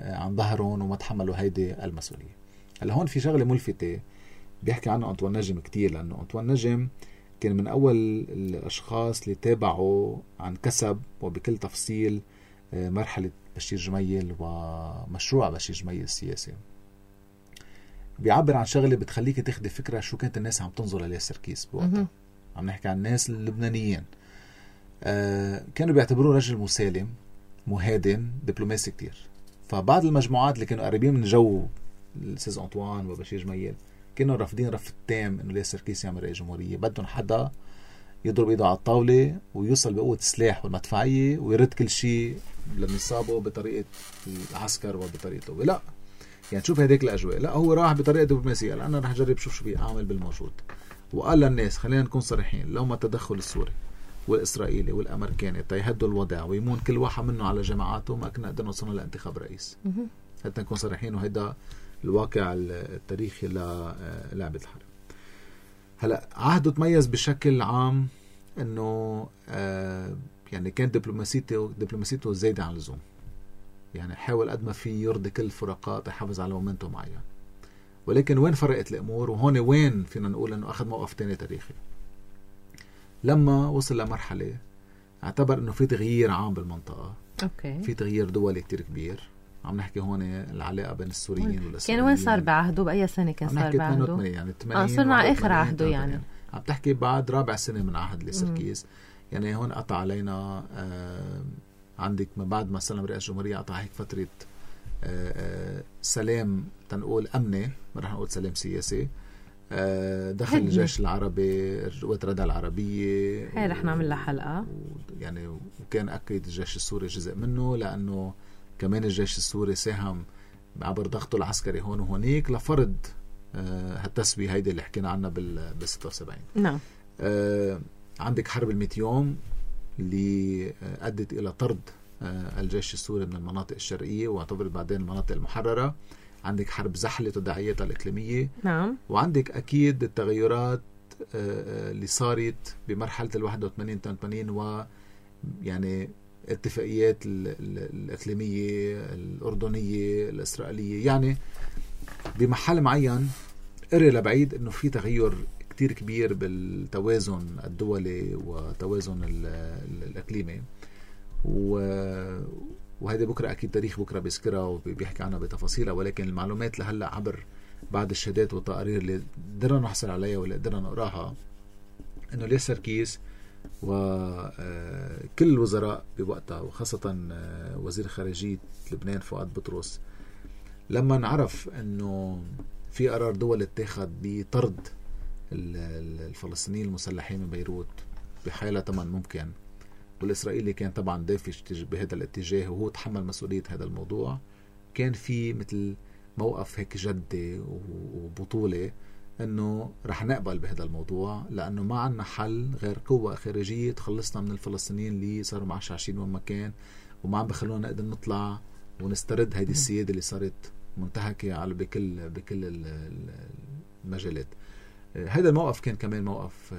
عن ظهرهم وما تحملوا هيدي المسؤولية. هلا هون في شغلة ملفتة بيحكي عنها أنطوان نجم كتير، لأنه أنطوان نجم كان من أول الأشخاص اللي تابعوا عن كسب وبكل تفصيل مرحلة بشير جميل ومشروع بشير جميل السياسي. بيعبر عن شغلة بتخليك تاخدي فكرة شو كانت الناس عم تنظر عليه سركيس بوقتها. عم نحكي عن الناس اللبنانيين آه كانوا بيعتبروه رجل مسالم مهادن دبلوماسي كتير. فبعض المجموعات اللي كانوا قريبين من جو الأستاذ أنطوان وبشير جميل كانوا رافضين رفض تام انه ليه سركيس يعمل رئيس جمهورية، بدهم حدا يضرب ايده على الطاولة ويوصل بقوة السلاح والمدفعية ويرد كل شيء لنصابه بطريقة العسكر وبطريقته. لا يعني شوف هديك الأجواء، لا هو راح بطريقة دبلوماسية، لأ أنا رح أجرب شوف شو بيعمل بالموجود. وقال للناس خلينا نكون صريحين، لو ما التدخل السوري والإسرائيلي والأمريكاني تيهدوا الوضع ويمون كل واحد منه على جماعاته ما كنا قدرنا نوصلنا لانتخاب رئيس. حتى نكون صريحين، وهيدا الواقع التاريخي للعبة الحرب. هلا عهده تميز بشكل عام انه آه يعني كانت دبلوماسيته دبلوماسيته زايدة عن اللزوم، يعني حاول قد ما في يرضي كل الفرقات يحافظ على مومنتو معين. ولكن وين فرقت الامور، وهون وين فينا نقول انه اخذ موقف تاني تاريخي، لما وصل لمرحله اعتبر انه في تغيير عام بالمنطقه. اوكي. في تغيير دولي كتير كبير. عم نحكي هون العلاقه بين السوريين والاسرائيليين. كان وين صار بعهده؟ باي سنه كان صار بعهده؟ يعني ثمانين اه صرنا على اخر عهده يعني. يعني عم تحكي بعد رابع سنه من عهد لسركيس. يعني هون قطع علينا آه عندك من بعد ما سلم رئيس الجمهورية قطع هيك فترة آآ آآ سلام تنقول أمني، ما رح نقول سلام سياسي. دخل الجيش العربي، قوات ردع العربية، هاي رح نعمل لها حلقة. يعني وكان أكيد الجيش السوري جزء منه، لأنه كمان الجيش السوري ساهم عبر ضغطه العسكري هون وهونيك لفرض هالتسوية هيدي اللي حكينا عنها بال ستة وسبعين. نعم. عندك حرب المئة يوم اللي أدت إلى طرد الجيش السوري من المناطق الشرقية واعتبرت بعدين المناطق المحررة. عندك حرب زحلة وتداعياتها الإقليمية. نعم. وعندك أكيد التغيرات اللي صارت بمرحلة الواحد وثمانين وثمانين و يعني اتفاقيات الإقليمية الأردنية الإسرائيلية. يعني بمحل معين قري لبعيد إنه في تغير كتير كبير بالتوازن الدولي وتوازن الإقليمي. وهذا بكرة أكيد تاريخ بكرة بيذكرها وبيحكي عنها بتفاصيلها، ولكن المعلومات لهلأ عبر بعد الشهادات والتقارير اللي قدرنا نحصل عليها واللي قدرنا نقراها إنه ليه سركيس وكل الوزراء بوقتها وخاصة وزير خارجية لبنان فؤاد بطرس لما نعرف إنه في قرار دول اتخذ بطرد الفلسطينيين المسلحين من بيروت بحالة طبعا ممكن، والإسرائيلي كان طبعا دافش بهذا الاتجاه وهو تحمل مسؤولية هذا الموضوع، كان في مثل موقف هيك جدي وبطولة انه رح نقبل بهذا الموضوع لانه ما عنا حل غير قوة خارجية تخلصنا من الفلسطينيين اللي صاروا معشعشين وين ما كان وما عم بخلونا نقدر نطلع ونسترد هذه السيادة اللي صارت منتهكة على بكل بكل المجالات. هذا الموقف كان كمان موقف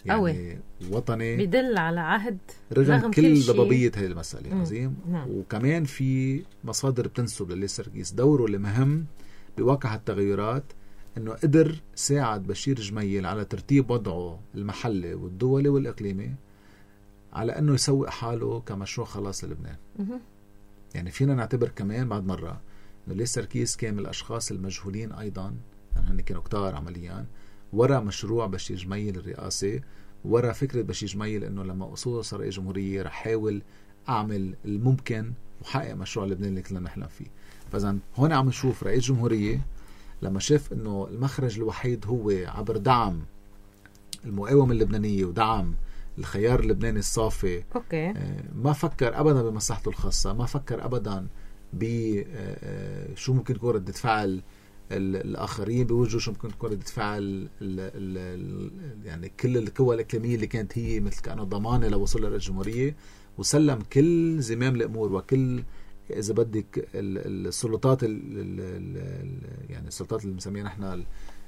يعني أوي. وطني بيدل على عهد رغم كل ضبابية هذه المسألة. عظيم. وكمان في مصادر بتنسب للي سركيس دوره اللي مهم بواقع التغيرات أنه قدر ساعد بشير جميل على ترتيب وضعه المحلي والدولي والإقليمي على أنه يسوق حاله كمشروع خلاص للبنان. يعني فينا نعتبر كمان بعد مرة أنه ليه سركيس كان من الأشخاص المجهولين أيضا، يعني هن كانوا كتار عمليا ورا مشروع بشير جميل الرئاسي، ورا فكرة بشير جميل أنه لما أصول رئيس جمهورية رح حاول أعمل الممكن وحقق مشروع لبنان اللي كلنا نحلم فيه. فإذا هون عم نشوف رئيس جمهورية لما شاف أنه المخرج الوحيد هو عبر دعم المقاومة اللبنانية ودعم الخيار اللبناني الصافي، أوكي. ما فكر أبدا بمصلحته الخاصة، ما فكر أبدا بشو ممكن تكون ردة فعل الآخرين بوجهه، شو ممكن تكون ردة فعل ال ال ال يعني كل القوى الإقليمية اللي كانت هي مثل كأنه ضمانة لوصول لرئيس الجمهورية، وسلم كل زمام الأمور وكل إذا بدك السلطات ال ال يعني السلطات اللي بنسميها نحن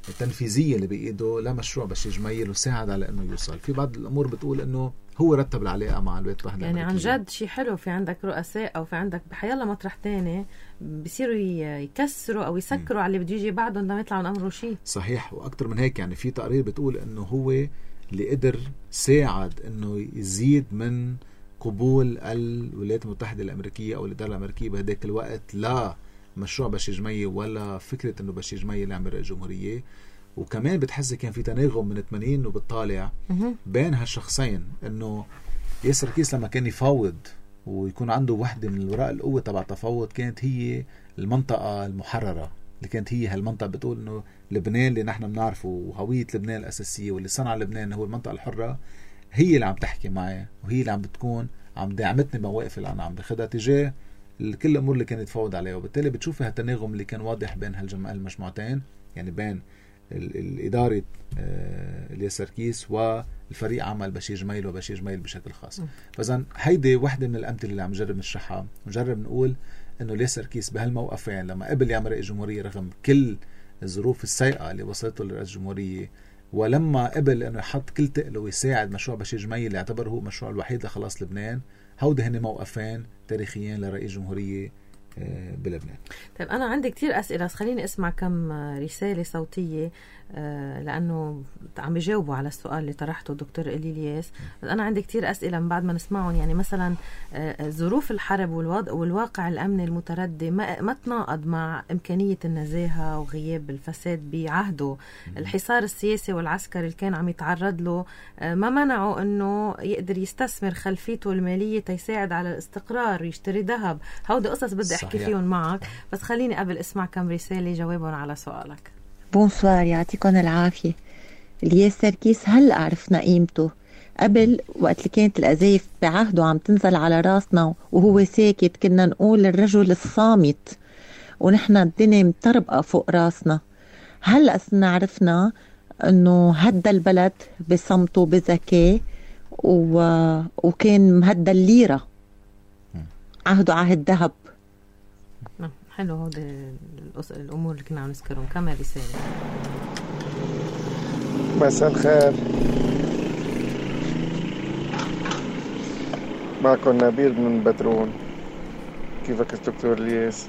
التنفيذية اللي بإيده لمشروع بشير جميل، وساعد على أنه يوصل. في بعض الأمور بتقول أنه هو رتب العلاقة مع الولايات المتحدة يعني عن جد شيء حلو. في عندك رؤساء أو في عندك بحيالله مطرح تاني بيصيروا يكسروا أو يسكروا م. على اللي بده يجي بعدهم لما يطلعوا أمره شيء. صحيح. وأكتر من هيك يعني في تقارير بتقول أنه هو اللي قدر ساعد أنه يزيد من قبول الولايات المتحدة الأمريكية أو الإدارة الأمريكية بهداك الوقت لا مشروع بشير جميل ولا فكرة أنه بشير جميل يعمل رئيس جمهورية. وكمان بتحس كان في تناغم من ثمانين وبالطالع بين هالشخصين، أنه ياسر كيس لما كان يفاوض ويكون عنده وحدة من الوراء القوة تبع التفاوض كانت هي المنطقة المحررة اللي كانت هي هالمنطقة بتقول أنه لبنان اللي نحن بنعرفه وهوية لبنان الأساسية واللي صنع لبنان هو المنطقة الحرة، هي اللي عم تحكي معي وهي اللي عم بتكون عم دعمتني بمواقف اللي أنا عم بخدها تجاه كل الأمور اللي كانت يتفاوض عليها. وبالتالي بتشوفي هالتناغم اللي كان واضح بين هالمجموعتين، يعني بين الإدارة الياسر كيس والفريق عمل بشير جميل وبشير جميل بشكل خاص. فإذن هيدي واحدة من الأمثلة اللي عم نجرب نشرحها، نجرب نقول إنه الياسر كيس بهالموقفين لما قبل يعمل رئيس جمهورية رغم كل الظروف السيئة اللي وصلته لرئيس جمهورية، ولما قبل إنه يحط كل تقله ويساعد مشروع بشير جميل اللي يعتبر هو مشروع الوحيد لخلاص لبنان، هودي هن موقفين تاريخيين لرئيس جمهورية بلبنان. طيب أنا عندي كتير أسئلة، خليني أسمع كم رسالة صوتية لأنه عم يجاوبوا على السؤال اللي طرحته دكتور إلي الياس. أنا عندي كتير أسئلة من بعد ما نسمعهم. يعني مثلا ظروف الحرب والواقع الأمني المتردي ما تناقض مع إمكانية النزاهة وغياب الفساد بعهده. الحصار السياسي والعسكري اللي كان عم يتعرض له ما منعه أنه يقدر يستثمر خلفيته المالية تيساعد على الاستقرار، يشتري ذهب. هودي قصص بدي أحكي فيهم معك، بس خليني قبل اسمع كم رسالة جوابهم على سؤالك. بونسوار، يعطيكم العافية. الياسر كيس هلأ عرفنا قيمته. قبل وقت اللي كانت الأزايف بعهده عم تنزل على راسنا وهو ساكت كنا نقول الرجل الصامت ونحن الدنيا متربقة فوق راسنا. هلأ صرنا عرفنا أنه هدى البلد بصمته بذكاء و... وكان مهدى الليرة، عهده عهد ذهب. حلو. هودي الأمور اللي كنا عم نذكرهم. كمان رسالة. مساء الخير، معكم نبيل من بدرون. كيفك دكتور الياس؟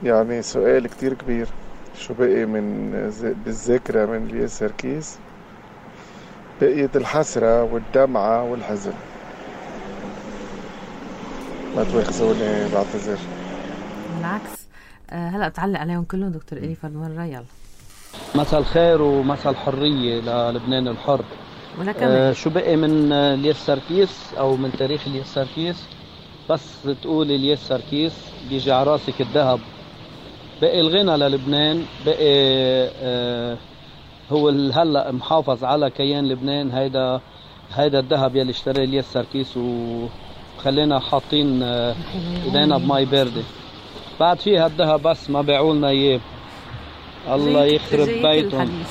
يعني سؤال كتير كبير، شو بقي من بالذاكرة من الياسر كيس؟ بقيت الحسرة والدمعة والحزن. ما تواخذوني، بعتذر. بالعكس، هلا بتعلق عليهم كلهم دكتور إلي فالمرة. يلا. مساء الخير ومساء الحرية للبنان الحر. آه شو بقي من الياسر كيس او من تاريخ الياسر كيس؟ بس تقول الياسر كيس بيجي على راسك الذهب. بقي الغنى للبنان، بقي آه هو هلا محافظ على كيان لبنان. هيدا هيدا الذهب يلي اشترى الياسر كيس و خلينا حاطين ايدينا بماي باردة. بعد فيها الذهب بس ما بيعوا لنا اياه. الله يخرب بيتهم.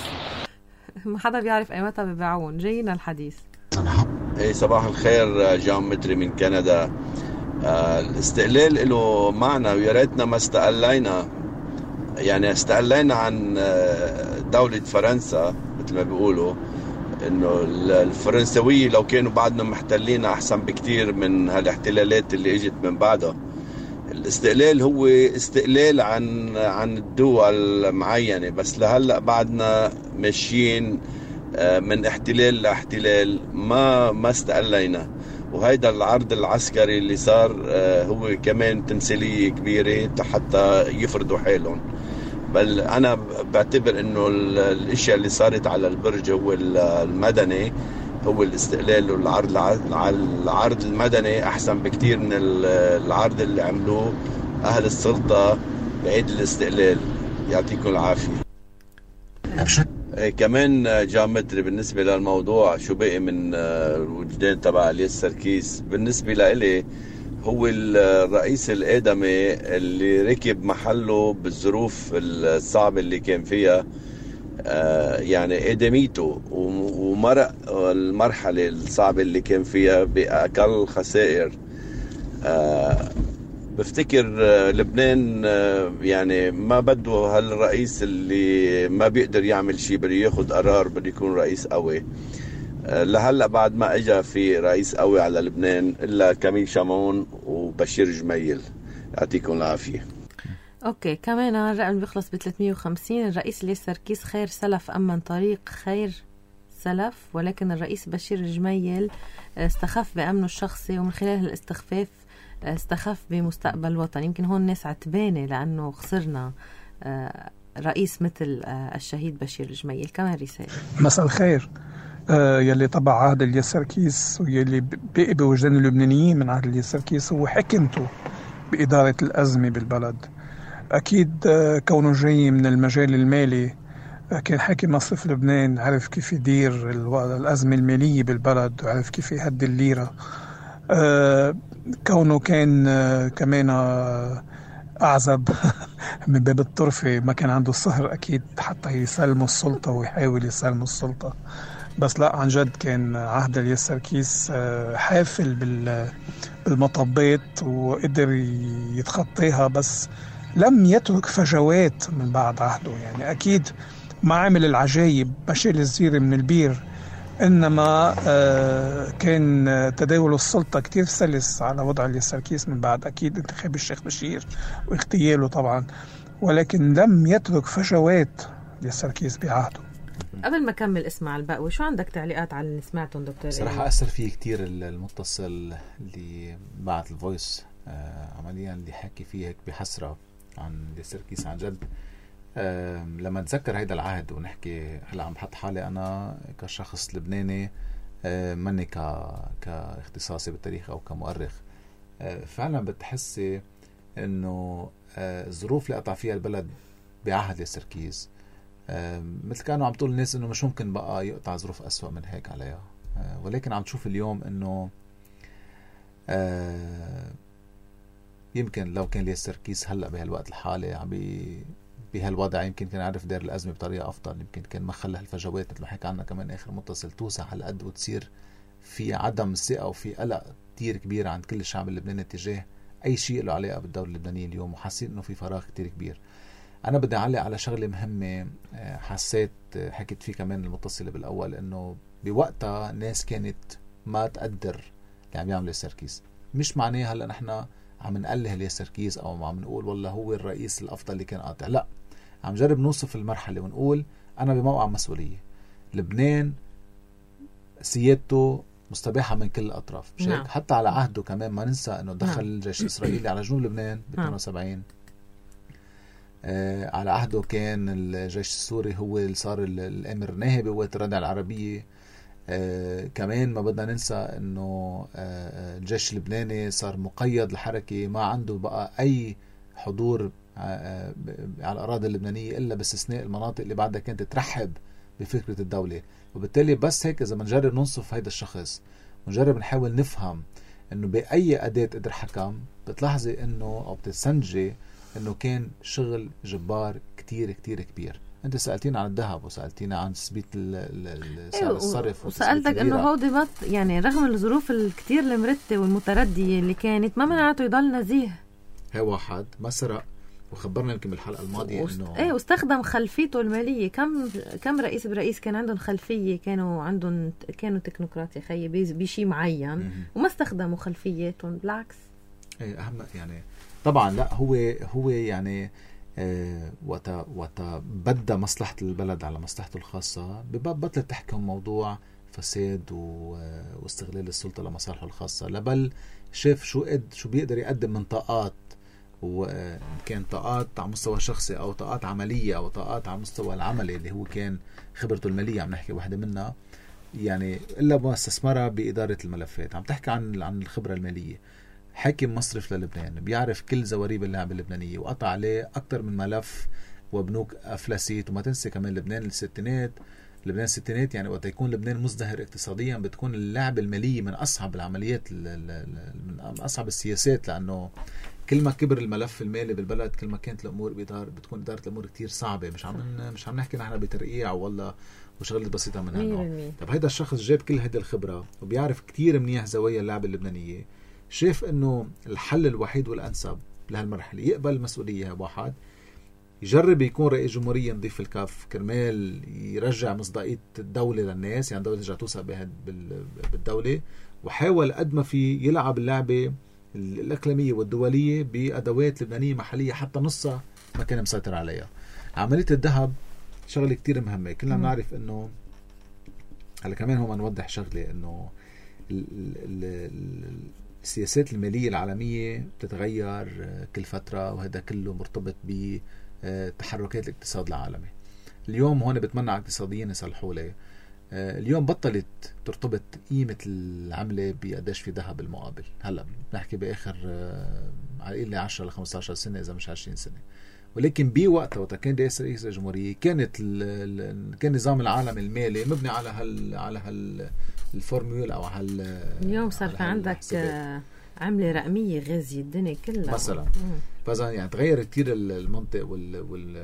ما حدا بيعرف ايمتى ببيعون. جاينا الحديث. اي صباح الخير، جام متري من كندا. آه الاستقلال له معنى ويا ريتنا ما استقلينا. يعني استقلينا عن دولة فرنسا مثل ما بيقولوا، انه الفرنسوية لو كانوا بعدنا محتلين احسن بكتير من هالاحتلالات اللي اجت من بعدها. الاستقلال هو استقلال عن عن الدول معينة، بس لهلأ بعدنا ماشيين من احتلال لاحتلال، ما ما استقلينا. وهيدا العرض العسكري اللي صار هو كمان تمثيلية كبيرة حتى يفرضوا حالهم. بل أنا بعتبر إنه الأشياء اللي صارت على البرج هو المدني، هو الاستقلال والعرض العرض المدني أحسن بكتير من العرض اللي عملوه أهل السلطة بعيد الاستقلال. يعطيكم العافية. كمان جامتري بالنسبة للموضوع شو بقي من الوجدان تبع الياس سركيس، بالنسبة لإلي هو الرئيس الآدمي اللي ركب محله بالظروف الصعبة اللي كان فيها، يعني آدميته ومرق المرحلة الصعبة اللي كان فيها بأقل خسائر. بفتكر لبنان يعني ما بده هالرئيس اللي ما بيقدر يعمل شيء، بده ياخد قرار، بده يكون رئيس قوي. لهلا بعد ما اجى في رئيس قوي على لبنان الا كميل شامون وبشير جميل. يعطيكم العافيه. اوكي كمان الرقم بيخلص ب ثلاثمية وخمسين. الرئيس الياس سركيس خير سلف امن طريق خير سلف، ولكن الرئيس بشير جميل استخف بامنه الشخصي، ومن خلال الاستخفاف استخف بمستقبل الوطن. يمكن هون ناس عتبانة لأنه خسرنا رئيس مثل الشهيد بشير جميل. كمان رسالة. مساء الخير. آه يلي طبع عهد الياس سركيس ويلي بقي بوجدان اللبنانيين من عهد الياس سركيس هو حكمته بإدارة الأزمة بالبلد. أكيد آه كونه جاي من المجال المالي، آه كان حاكم مصرف لبنان، عرف كيف يدير الأزمة المالية بالبلد وعرف كيف يهدي الليرة. آه كونه كان آه كمان آه أعزب من باب الطرفة، ما كان عنده الصهر أكيد حتى يسلموا السلطة ويحاول يسلموا السلطة. بس لا، عن جد كان عهد الياس سركيس آه حافل بالمطبات وقدر يتخطيها، بس لم يترك فجوات من بعد عهده. يعني أكيد ما عمل العجايب بشيل الزيري من البير، إنما آه كان تداول السلطة كتير سلس على وضع الياس سركيس من بعد أكيد انتخاب الشيخ بشير واغتياله طبعا، ولكن لم يترك فجوات الياس سركيس بعهده. قبل ما كمل اسمع البقوي، شو عندك تعليقات على اللي سمعتهم دكتور؟ صراحة أثر فيه كتير المتصل اللي بعت الفويس آه عمليا اللي حكي فيه هيك بحسرة عن الياس سركيس. عن جد أه لما نتذكر هيدا العهد ونحكي هلا عم بحط حالي انا كشخص لبناني أه مني ك كاختصاصي بالتاريخ او كمؤرخ، أه فعلا بتحسي انه أه الظروف اللي قطع فيها البلد بعهد الياس سركيس أه مثل كانوا عم تقول الناس انه مش ممكن بقى يقطع ظروف اسوأ من هيك عليها، أه ولكن عم تشوف اليوم انه أه يمكن لو كان الياس سركيس هلا بهالوقت الحالي عم بي بهالوضع يمكن كان عارف دير الأزمة بطريقة أفضل، يمكن كان ما خلى هالفجوات مثل ما حكى عنها كمان آخر متصل توسع على قد وتصير في عدم ثقة وفي قلق كتير كبير عند كل الشعب اللبناني تجاه أي شيء له علاقة بالدولة اللبنانية اليوم، وحاسين إنه في فراغ كتير كبير. أنا بدي أعلق على شغلة مهمة حسيت حكيت فيه كمان المتصلة بالأول، إنه بوقتها الناس كانت ما تقدر اللي عم يعمل الياس سركيس. مش معناه هلا نحن عم نقله الياس سركيس أو عم نقول والله هو الرئيس الأفضل اللي كان قاطع، لا، عم جرب نوصف المرحلة ونقول أنا بموقع مسؤولية. لبنان سيادته مستباحة من كل الأطراف، مش هيك؟ حتى على عهده كمان ما ننسى أنه دخل الجيش الإسرائيلي على جنوب لبنان ب اثنين وسبعين. آه على عهده كان الجيش السوري هو اللي صار الأمر ناهي بقوات الردع العربية. آه كمان ما بدنا ننسى أنه آه الجيش اللبناني صار مقيد الحركة، ما عنده بقى أي حضور على الأراضي اللبنانية إلا باستثناء المناطق اللي بعدها كانت ترحب بفكرة الدولة. وبالتالي بس هيك إذا منجرب ننصف هيدا الشخص ونجرب نحاول نفهم إنه بأي أداة قدر حكم، بتلاحظي إنه أو بتستنتجي إنه كان شغل جبار كتير كتير كبير. أنت سألتين عن الذهب وسألتين عن تثبيت سعر الصرف، وسألتك إنه هودي بط يعني رغم الظروف الكتير المرتة والمتردية اللي كانت ما منعته يضل نزيه. هي واحد ما سرق، وخبرنا يمكن بالحلقه الماضيه وست... انه ايه واستخدم خلفيته الماليه. كم كم رئيس برئيس كان عندهم خلفيه، كانوا عندهم كانوا تكنوقراط يا خيي بشيء معين م- وما استخدموا خلفياتهم، بالعكس. ايه اهم يعني طبعا. لا هو هو يعني آه وقت وقت بدأ مصلحة البلد على مصلحته الخاصة ببطل تحكم موضوع فساد واستغلال السلطة لمصالحه الخاصة، لبل شاف شو قد شو بيقدر يقدم من طاقات، وكان طاقات على مستوى شخصي أو طاقات عملية أو طاقات على مستوى العملي اللي هو كان خبرته المالية عم نحكي واحدة منها، يعني إلا ما استثمرها بإدارة الملفات. عم تحكي عن عن الخبرة المالية. حاكم مصرف للبنان بيعرف كل زواريب اللعبة اللبنانية وقطع عليه أكتر من ملف وبنوك أفلسيت. وما تنسي كمان لبنان الستينات، لبنان الستينات يعني وقت يكون لبنان مزدهر اقتصاديا بتكون اللعبة المالية من أصعب العمليات، من أصعب السياسات، لأنه كل ما كبر الملف المالي بالبلد كل ما كانت الأمور بإدارة بتكون إدارة الأمور كتير صعبة. مش عم مش عم نحكي نحن بترقيع ولا وشغلة بسيطة من هالنوع. طب هيدا الشخص جاب كل هيدا الخبرة وبيعرف كتير منيح زوايا اللعبة اللبنانية، شايف إنه الحل الوحيد والأنسب لهالمرحلة يقبل المسؤولية. واحد يجرب يكون رئيس جمهورية نضيف الكف كرمال يرجع مصداقية الدولة للناس، يعني الدولة ترجع توثق بالدولة، وحاول قد ما في يلعب اللعبة الإقليمية والدولية بأدوات لبنانية محلية حتى نصها ما كان مسيطر عليها. عملية الذهب شغلة كتير مهمة. كلنا نعرف إنه هلا كمان هو ما نوضح شغلة إنه السياسات المالية العالمية بتتغير كل فترة، وهذا كله مرتبط بتحركات الاقتصاد العالمي. اليوم هون بتمنع اقتصاديين يصلحوا لي. اليوم بطلت ترتبط قيمة العملة بقديش في ذهب المقابل. هلا بنحكي بآخر على إلى عشرة ل خمسة عشر سنة إذا مش عشرين سنة. ولكن بوقتها وقت كان رئيس رئيس الجمهورية كانت كان نظام العالم المالي مبني على هال على هال الفورمولا أو هال. اليوم صار في عندك عملة رقمية غازية الدنيا كلها مثلا. فإذا يعني تغير كتير المنطق وال, وال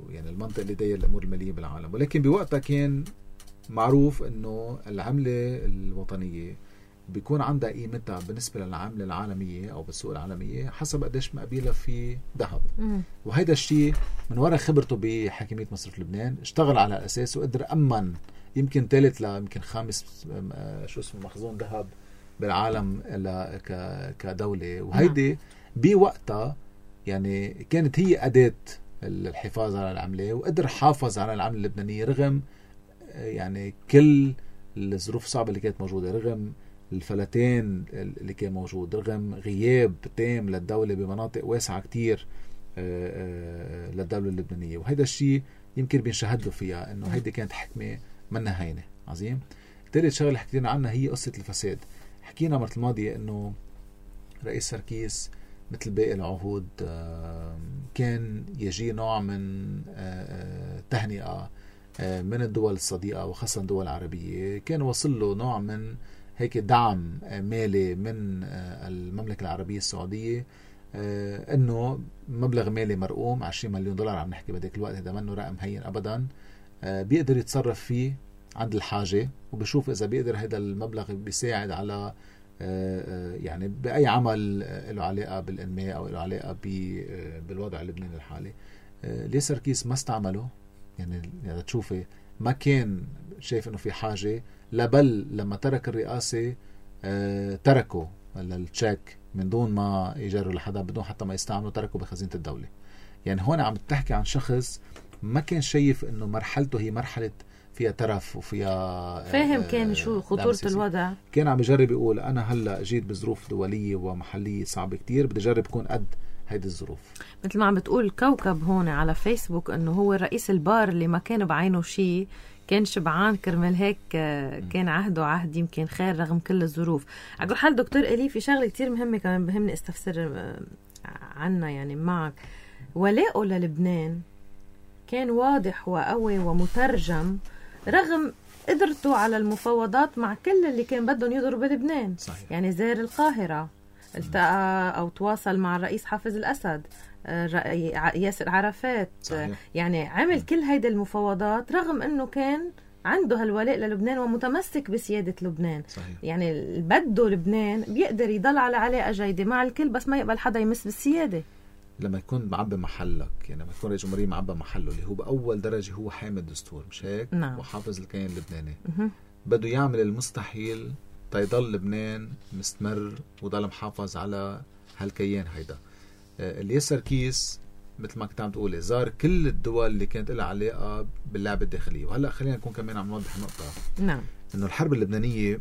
يعني المنطق اللي داير الأمور المالية بالعالم. ولكن بوقتها كان معروف إنه العملة الوطنية بيكون عندها قيمتها بالنسبة للعملة العالمية أو بالسوق العالمية حسب قديش مقابلها في ذهب. وهيدا الشيء من وراء خبرته بحاكمية مصرف لبنان اشتغل على الأساس وقدر أمن يمكن ثالث لا يمكن خامس شو اسمه مخزون ذهب بالعالم كدولة. وهيدي بوقتها يعني كانت هي أداة الحفاظ على العملة، وقدر حافظ على العملة اللبنانية رغم يعني كل الظروف الصعبة اللي كانت موجودة، رغم الفلتين اللي كان موجود، رغم غياب تام للدولة بمناطق واسعة كتير للدولة اللبنانية. وهذا الشيء يمكن بينشهد له فيها إنه هيدي كانت حكمة منها هينة. عظيم. ثالث شغلة حكينا عنها هي قصة الفساد. حكينا مرة الماضية إنه رئيس سركيس مثل باقي العهود كان يجي نوع من تهنئة من الدول الصديقة وخاصة الدول العربية. كان وصل له نوع من هيك دعم مالي من المملكة العربية السعودية، انه مبلغ مالي مرقوم عشرين مليون دولار عم نحكي بديك الوقت. هذا منه رقم هين ابدا. بيقدر يتصرف فيه عند الحاجة، وبشوف اذا بيقدر هذا المبلغ بيساعد على يعني بأي عمل له علاقة بالإنماء أو له علاقة بالوضع اللبناني الحالي. ليه سركيس ما استعمله؟ يعني يعني تشوفي ما كان شايف إنه في حاجة، لا بل لما ترك الرئاسة تركوا التشيك من دون ما يجروا لحدا، بدون حتى ما يستعملوا، تركوا بخزينة الدولة. يعني هون عم تحكي عن شخص ما كان شايف إنه مرحلته هي مرحلة فيها ترف وفيها فاهم كان شو خطورة الوضع. كان عم يجرب يقول أنا هلأ جيت بظروف دولية ومحلية صعبة كتير، بدي أجرب كون قد هيدي الظروف. مثل ما عم بتقول كوكب هون على فيسبوك إنه هو الرئيس البار اللي ما كان بعينه شيء، كان شبعان كرمال هيك كان عهده عهد يمكن خير رغم كل الظروف. على حال دكتور إلي في شغلة كتير مهمة كمان بهمني استفسر عنها يعني معك. ولاءه للبنان كان واضح وقوي ومترجم رغم قدرته على المفاوضات مع كل اللي كان بدهم يضربوا بلبنان. صحيح. يعني زار القاهرة، التقى أو تواصل مع الرئيس حافظ الأسد، ياسر عرفات. صحيح. يعني عمل كل هيدا المفاوضات رغم أنه كان عنده هالولاء للبنان ومتمسك بسيادة لبنان. صحيح. يعني بده لبنان بيقدر يضل على علاقة جيدة مع الكل بس ما يقبل حدا يمس بالسيادة. لما يكون معبى محلك، يعني لما يكون رئيس جمهورية معبى محله اللي هو بأول درجة هو حامل الدستور، مش هيك؟ نعم. وحافظ الكيان اللبناني. بده يعمل المستحيل تيضل لبنان مستمر وضل محافظ على هالكيان هيدا. الياس سركيس مثل ما كنت عم تقولي زار كل الدول اللي كانت لها علاقة باللعبة الداخلية. وهلأ خلينا نكون كمان عم نوضح نقطة، نعم، إنه الحرب اللبنانية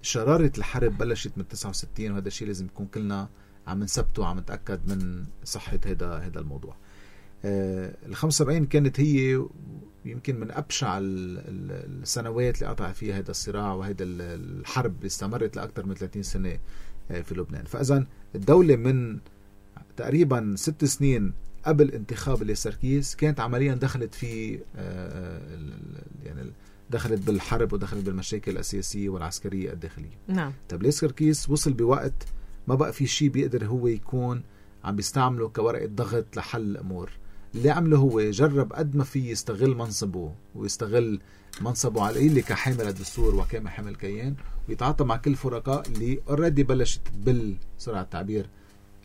شرارة الحرب بلشت من تسعة وستين، وهذا الشيء لازم نكون كلنا عم نثبته وعم نتأكد من صحة هذا هذا الموضوع. آه ال خمسة وسبعين كانت هي يمكن من أبشع السنوات اللي قطع فيها هذا الصراع وهذا الحرب اللي استمرت لأكثر من ثلاثين سنة في لبنان. فإذا الدولة من تقريبا ست سنين قبل انتخاب الياس سركيس كانت عمليا دخلت في يعني دخلت بالحرب ودخلت بالمشاكل السياسية والعسكرية الداخلية. نعم. طب الياس سركيس وصل بوقت ما بقى في شيء بيقدر هو يكون عم بيستعمله كورقة ضغط لحل الأمور. اللي عمله هو جرب قد ما في يستغل منصبه ويستغل منصبه على اللي كحامل الدستور وكمحامل كيان، ويتعاطى مع كل فرقاء اللي اوريدي بلشت تبل سرعة التعبير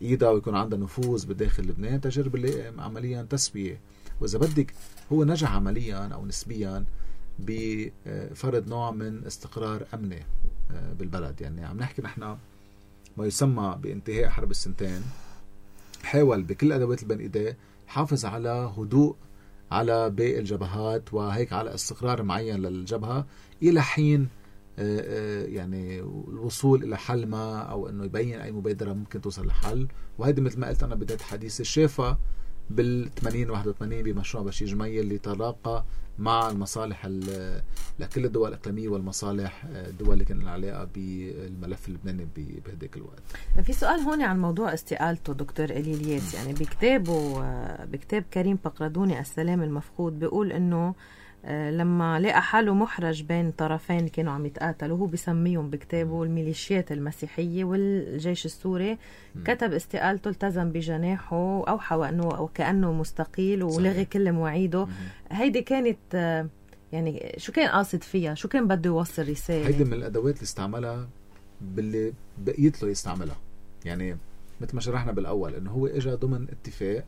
ايدها ويكون عندها نفوذ بداخل لبنان، تجرب اللي عمليا تسوية. واذا بدك هو نجح عمليا او نسبيا بفرض نوع من استقرار امني بالبلد. يعني عم نحكي نحن ما يسمى بانتهاء حرب السنتين، حاول بكل الادوات اللي بين ايديه حافظ على هدوء على باقي الجبهات وهيك على استقرار معين للجبهة إلى حين يعني الوصول إلى حل ما أو أنه يبين أي مبادرة ممكن توصل لحل. وهذا مثل ما قلت أنا بداية حديثي شافها بالثمانين واحد وثمانين بمشروع بشير جميل اللي تلاقى مع المصالح لكل الدول الإقليمية والمصالح الدول اللي كان العلاقة بالملف اللبناني بهديك الوقت. في سؤال هون عن موضوع استقالته دكتور إلي الياس. يعني بكتابه بكتاب كريم بقردوني السلام المفقود بيقول إنه لما لقى حاله محرج بين طرفين كانوا عم يتقاتلوا، هو بيسميهم بكتابه الميليشيات المسيحية والجيش السوري، م. كتب استقالته، التزم بجناحه وأوحى وأنه وكأنه مستقيل ولغي كل مواعيده. هيدي كانت يعني شو كان قاصد فيها؟ شو كان بده يوصل رسالة؟ هيدي من الأدوات اللي استعملها باللي بقيت له يستعملها. يعني مثل ما شرحنا بالأول إنه هو إجا ضمن اتفاق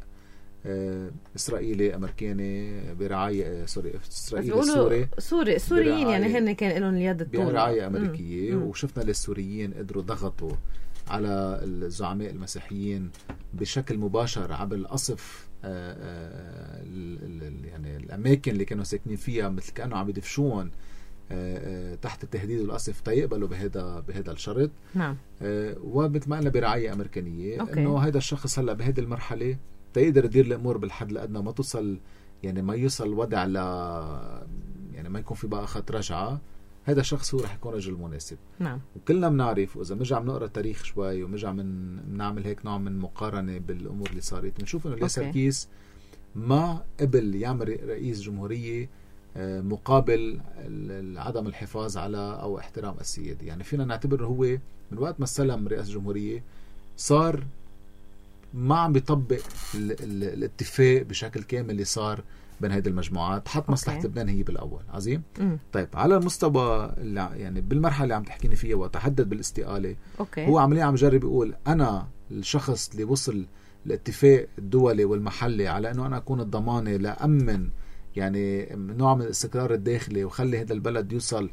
إسرائيلي أمريكاني برعاية سوري إسرائيلي سوري سوري السوريين يعني هن كان لهم اليد الطولة برعاية أمريكية. مم. وشفنا للسوريين قدروا ضغطوا على الزعماء المسيحيين بشكل مباشر عبر القصف يعني الأماكن اللي كانوا ساكنين فيها، مثل كأنه عم يدفشون تحت التهديد والقصف تيقبلوا بهذا بهذا الشرط. نعم. ومثل ما قلنا برعاية أمريكانية إنه هذا الشخص هلا بهذه المرحلة تقدر يدير الأمور بالحد الأدنى، ما توصل يعني ما يوصل وضع ل يعني ما يكون في بقى خط رجعة. هذا الشخص هو رح يكون رجل مناسب. نعم. وكلنا بنعرف وإذا بنرجع بنقرأ التاريخ شوي وبنرجع من بنعمل هيك نوع من مقارنة بالأمور اللي صارت، بنشوف إنه الياس سركيس ما قبل يعمل رئيس جمهورية مقابل عدم الحفاظ على أو احترام السيادة. يعني فينا نعتبر هو من وقت ما استلم رئاسة جمهورية صار ما عم بيطبق ال ال الاتفاق بشكل كامل اللي صار بين هذه المجموعات، حط مصلحة لبنان هي بالأول. عظيم. م. طيب على المستوى يعني بالمرحلة اللي عم تحكيني فيها وتحدد بالاستقالة، أوكي. هو عمليا عم يجرب يقول أنا الشخص اللي وصل الاتفاق الدولي والمحلي على أنه أنا أكون الضمانة لأمن يعني نوع من الاستقرار الداخلي وخلي هذا البلد يوصل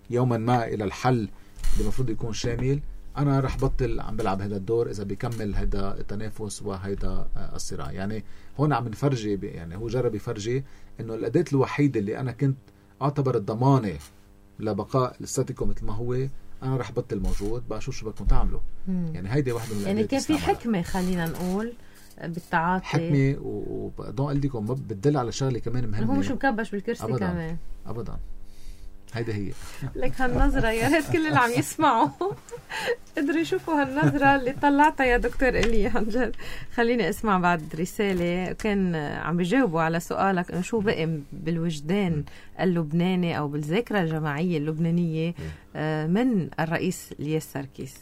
يوما ما إلى الحل اللي المفروض يكون شامل. أنا رح بطل عم بلعب هذا الدور إذا بيكمل هذا التنافس وهذا الصراع. يعني هون عم نفرجي يعني هو جرب يفرجي إنه الأداة الوحيدة اللي أنا كنت أعتبر الضمانة لبقاء الستاتيكو مثل ما هو، أنا رح بطل موجود بقى شو شو بدكم تعملوا. يعني هيدي واحدة من يعني كان في حكمة خلينا نقول بالتعاطي، حكمة وبدون قل لكم بتدل على شغلة كمان مهمة. هو مش مكبش بالكرسي أبداً. كمان أبدا. هيدا هي لك هالنظرة يا ريت كل اللي عم يسمعوا قدروا يشوفوا هالنظرة اللي طلعتها يا دكتور إلي عن جد. خليني اسمع بعد رسالة كان عم بيجاوبوا على سؤالك انه شو بقي بالوجدان اللبناني او بالذاكرة الجماعية اللبنانية من الرئيس الياس سركيس.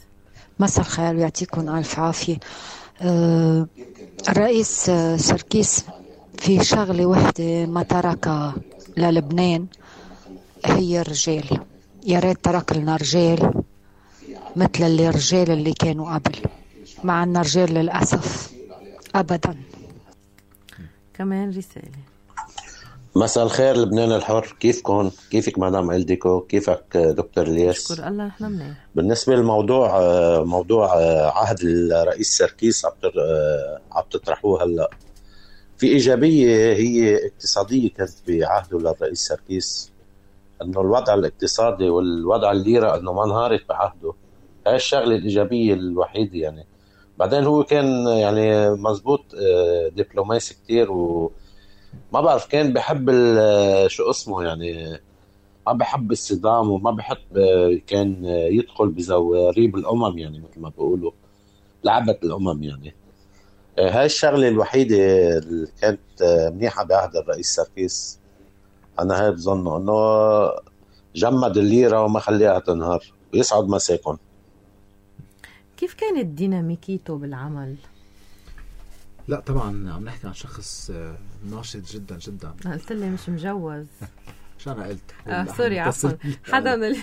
مساء الخير ويعطيكم الف عافية. أه الرئيس سركيس في شغلة وحدة ما تركها للبنان هي الرجال. يا ريت ترك لنا رجال مثل اللي الرجال اللي كانوا قبل. ما عنا رجال للأسف أبدا. كمان رسالة. مساء الخير لبنان الحر، كيفكم؟ كيفك مدام إلديكو؟ كيفك دكتور الياس؟ شكر الله نحن منيح. بالنسبة للموضوع موضوع عهد الرئيس سركيس عم تطرحوه هلا، في إيجابية هي اقتصادية كانت بعهده للرئيس سركيس، إنه الوضع الاقتصادي والوضع الليرة إنه ما انهارت بعهده، هاي الشغلة الإيجابية الوحيدة يعني. بعدين هو كان يعني مزبوط دبلوماسي كتير، و ما بعرف كان بحب شو اسمه يعني، ما بحب الصدام وما بحب كان يدخل بزواريب الأمم يعني مثل ما بيقولوا لعبة الأمم يعني. هاي الشغلة الوحيدة اللي كانت منيحة بعهد الرئيس سركيس. أنا هاي بظنه إنه جمد الليرة وما خليها تنهار، ويسعد مساكن. كيف كانت ديناميكيته بالعمل؟ لا طبعا عم نحكي عن شخص ناشط جدا جدا. قلت لي مش مجوز. شو أنا قلت؟ آه سوري عفوا حدا من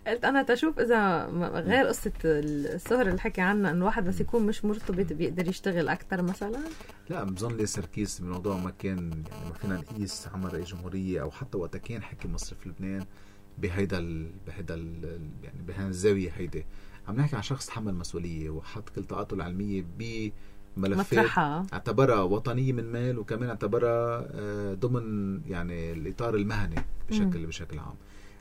قلت أنا تشوف إذا غير قصة السهر اللي حكي عنها إنه واحد بس يكون مش مرتبط بيقدر يشتغل أكتر مثلا. لا بظن لي سركيس بالموضوع ما كان يعني ما فينا نقيس عمل رئيس جمهورية أو حتى وقت كان حكي مصر في لبنان بهيدا ال... بهيدا ال... يعني بهذه الزاوية هيدا. عم نحكي عن شخص تحمل مسؤولية وحط كل طاقته العلمية ب ملفات اعتبرها وطنية من مال، وكمان اعتبرها ضمن يعني الإطار المهني بشكل م. بشكل عام.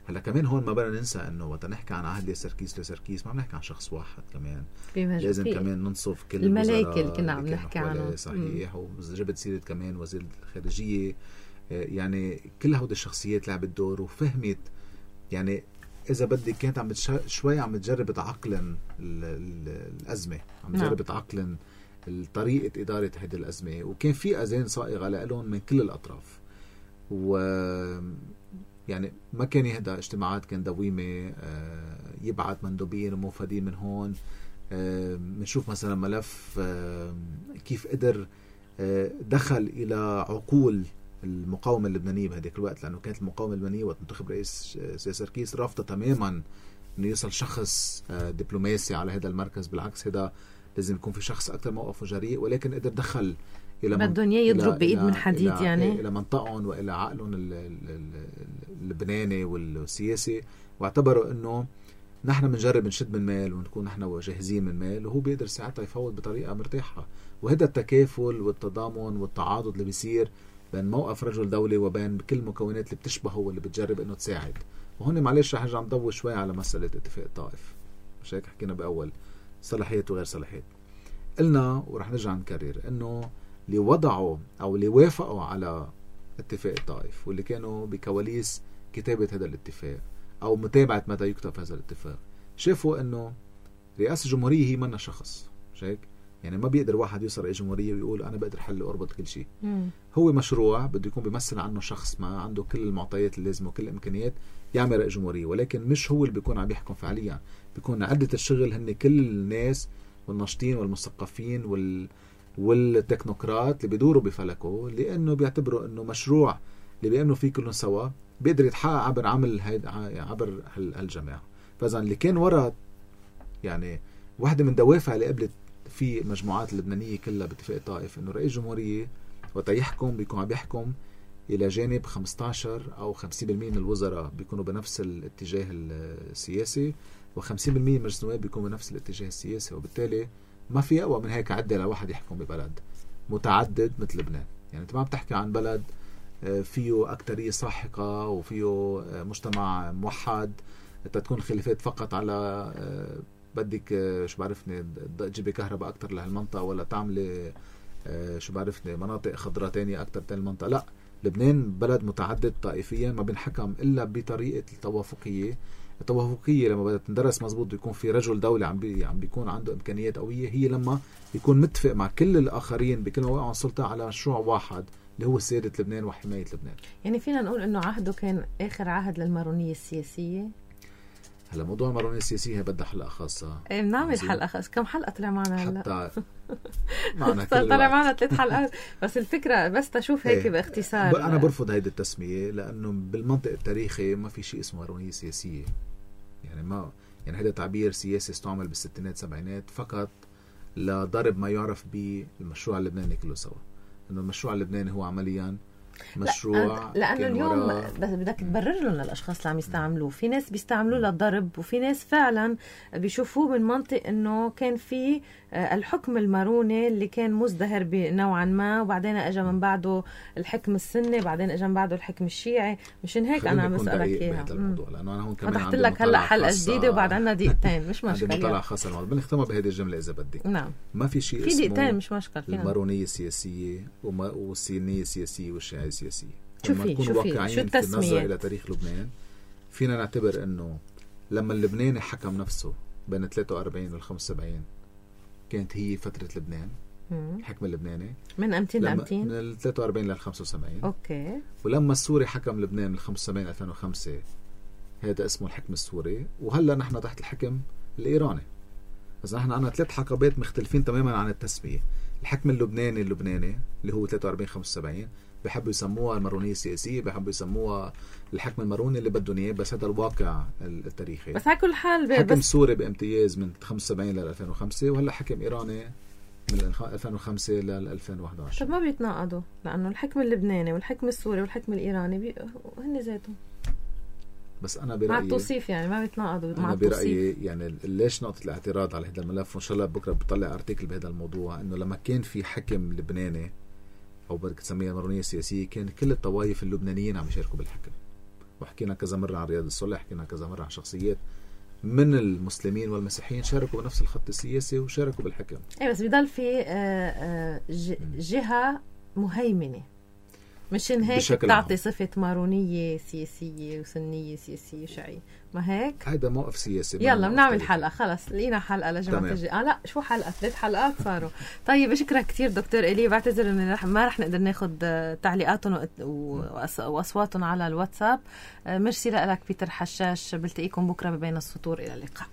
هلا كمان هون ما بدنا ننسى انه وقت نحكي عن عهد سركيس لسركيس ما بنحكي عن شخص واحد، كمان لازم فيه. كمان ننصف كل الملايكة اللي كنا عم نحكي عنها صحيح. وجبت سيرة كمان وزير الخارجية، يعني كل هود الشخصيات لعبت دور وفهمت يعني إذا بدي كانت عم شوي عم تجرب تعقلن الأزمة، عم تجرب تعقلن طريقة إدارة هذه الأزمة، وكان في أذان صائغة لهم من كل الأطراف. و يعني ما كان يهدى اجتماعات، كان دويمة، يبعث مندوبين وموفدين من هون. بنشوف مثلا ملف كيف قدر دخل إلى عقول المقاومة اللبنانية بهذيك الوقت، لأنه كانت المقاومة اللبنانية وقت منتخب رئيس سركيس رافضة تماما إنه يصل شخص دبلوماسي على هذا المركز. بالعكس هذا لازم يكون في شخص أكثر موقفه جريء، ولكن قدر دخل إلى بدهم إياه يضرب بإيد من حديد إلى يعني إلى منطقهم وإلى عقلهم اللبناني والسياسي، واعتبروا إنه نحن بنجرب نشد من مال ونكون نحن جاهزين من مال، وهو بيقدر ساعتها يفوض بطريقة مرتاحة. وهذا التكافل والتضامن والتعاضد اللي بيصير بين موقف رجل دولي وبين كل المكونات اللي بتشبهه واللي بتجرب إنه تساعد. وهون معلش رح نرجع نضوي شوي على مسألة اتفاق الطائف، مش هيك حكينا بأول صلاحيات وغير صلاحيات. قلنا ورح نرجع نكرر إنه اللي وضعوا أو اللي وافقوا على اتفاق الطائف واللي كانوا بكواليس كتابة هذا الاتفاق أو متابعة متى يكتب هذا الاتفاق شافوا إنه رئاسة الجمهورية هي منا شخص، مش هيك؟ يعني ما بيقدر واحد يوصل رئيس جمهورية ويقول أنا بقدر حل وأربط كل شيء. مم. هو مشروع بده يكون بيمثل عنه شخص ما عنده كل المعطيات اللازمة وكل الإمكانيات يعمل رئيس جمهورية، ولكن مش هو اللي بيكون عم يحكم فعليا. بيكون عدة الشغل هن كل الناس والناشطين والمثقفين وال والتكنوقراط اللي بيدوروا بفلكه، لأنه بيعتبروا إنه مشروع اللي بيأمنوا فيه كلهم سوا بيقدر يتحقق عبر عمل عبر هالجماعة. فإذا اللي كان وراء يعني واحدة من دوافع اللي قبلت في مجموعات اللبنانية كلها باتفاق طائف إنه رئيس جمهورية وقت يحكم بيكون عم يحكم إلى جانب خمسة عشر أو خمسين بالمئة من الوزراء بيكونوا بنفس الاتجاه السياسي، وخمسين بالمئة من مجلس النواب بيكونوا بنفس الاتجاه السياسي. وبالتالي ما في أقوى من هيك عدة لواحد يحكم ببلد متعدد مثل لبنان. يعني أنت ما بتحكي عن بلد فيه أكترية ساحقة وفيه مجتمع موحد تكون خلافات فقط على بدك شو بعرفني تجيبي كهرباء أكتر لهالمنطقة ولا تعملي شو بعرفني مناطق خضراء تانية أكتر تاني المنطقة. لا، لبنان بلد متعدد طائفيا ما بنحكم إلا بطريقة التوافقية. التوافقية لما بدها تندرس مزبوط بيكون في رجل دولة عم بي عم بيكون عنده إمكانيات قوية، هي لما يكون متفق مع كل الآخرين بكل مواقع السلطة على مشروع واحد اللي هو سيادة لبنان وحماية لبنان. يعني فينا نقول إنه عهده كان آخر عهد للمارونية السياسية. هلا موضوع المارونية السياسية بدها حلقة خاصة. ايه بنعمل حلقة خاصة. كم حلقة طلع معنا هلا؟ حتى معنا كل طلع معنا ثلاث حلقات بس الفكرة بس تشوف هيك باختصار. أنا برفض هيدي التسمية لأنه بالمنطق التاريخي ما في شيء اسمه مارونية سياسية. يعني ما يعني هذا تعبير سياسي استعمل بالستينات سبعينات فقط لضرب ما يعرف بالمشروع اللبناني كله سوا. إنه المشروع اللبناني هو عمليا مشروع. لأنه اليوم بدك تبرر لهم للأشخاص اللي عم يستعملوه. في ناس بيستعملوه للضرب، وفي ناس فعلا بيشوفوه من منطق إنه كان في الحكم الماروني اللي كان مزدهر بنوعا ما، وبعدين اجى من بعده الحكم السني، بعدين اجى من بعده الحكم الشيعي. مشان هيك انا عم بسألك اياها، لانه انا هون كمان فتحت لك هلا حلقه جديده وبعد عنا دقيقتين، مش مشكله. عندي مطلع خاص الموضوع، بنختمها بهذه الجمله اذا بدك. نعم، ما في شيء في اسمه دقيقتين مش مشكله. المارونيه السياسيه وما والسنيه السياسيه والشيعيه السياسيه. شوفي شوفي شو التسميه الى تاريخ لبنان، فينا نعتبر انه لما اللبناني حكم نفسه بين ثلاثة وأربعين وال خمسة وسبعين كانت هي فترة لبنان، الحكم اللبناني من أمتين لأمتين، من ال ثلاثة وأربعين لل خمسة وسبعين. أوكي. ولما السوري حكم لبنان من خمسة وسبعين ألفين وخمسة هذا اسمه الحكم السوري، وهلا نحن تحت الحكم الإيراني. بس نحن عنا ثلاث حقبات مختلفين تماما عن التسمية. الحكم اللبناني اللبناني اللي هو ثلاثة وأربعين خمسة وسبعين بيحبوا يسموها المارونية السياسية، بيحبوا يسموها الحكم الماروني اللي بدهم اياه، بس هذا الواقع التاريخي. بس على كل حال حكم سوري بامتياز من خمسة وسبعين لل ألفين وخمسة، وهلا حكم إيراني من ألفين وخمسة لل ألفين وأحد عشر. طب ما بيتناقضوا؟ لأنه الحكم اللبناني والحكم السوري والحكم الإيراني بي... هن ذاتهم. بس أنا برأيي مع التوصيف يعني ما بيتناقضوا مع أنا التوصيف. برأيي يعني ليش نقطة الاعتراض على هذا الملف، وإن شاء الله بكرة بطلع أرتيكل بهذا الموضوع، إنه لما كان في حكم لبناني أو بدك تسميها المارونية السياسية كان كل الطوائف اللبنانيين عم يشاركوا بالحكم. وحكينا كذا مرة عن رياض الصلح، حكينا كذا مرة عن شخصيات من المسلمين والمسيحيين شاركوا بنفس الخط السياسي وشاركوا بالحكم. ايه بس بضل في جهة مهيمنة، مشان هيك تعطي صفة مارونية سياسية وسنية سياسية وشيعية، ما هيك؟ هيدا موقف سياسي. يلا بنعمل حلقة، خلص لقينا حلقة لجماعة الجي. اه لا شو حلقة، ثلاث حلقات صاروا. طيب بشكرك كتير دكتور إلي، بعتذر ان رح ما رح نقدر ناخد تعليقاتهم واصواتهم على الواتساب. ميرسي لك بيتر حشاش، بلتقيكم بكرة ببين السطور، الى اللقاء.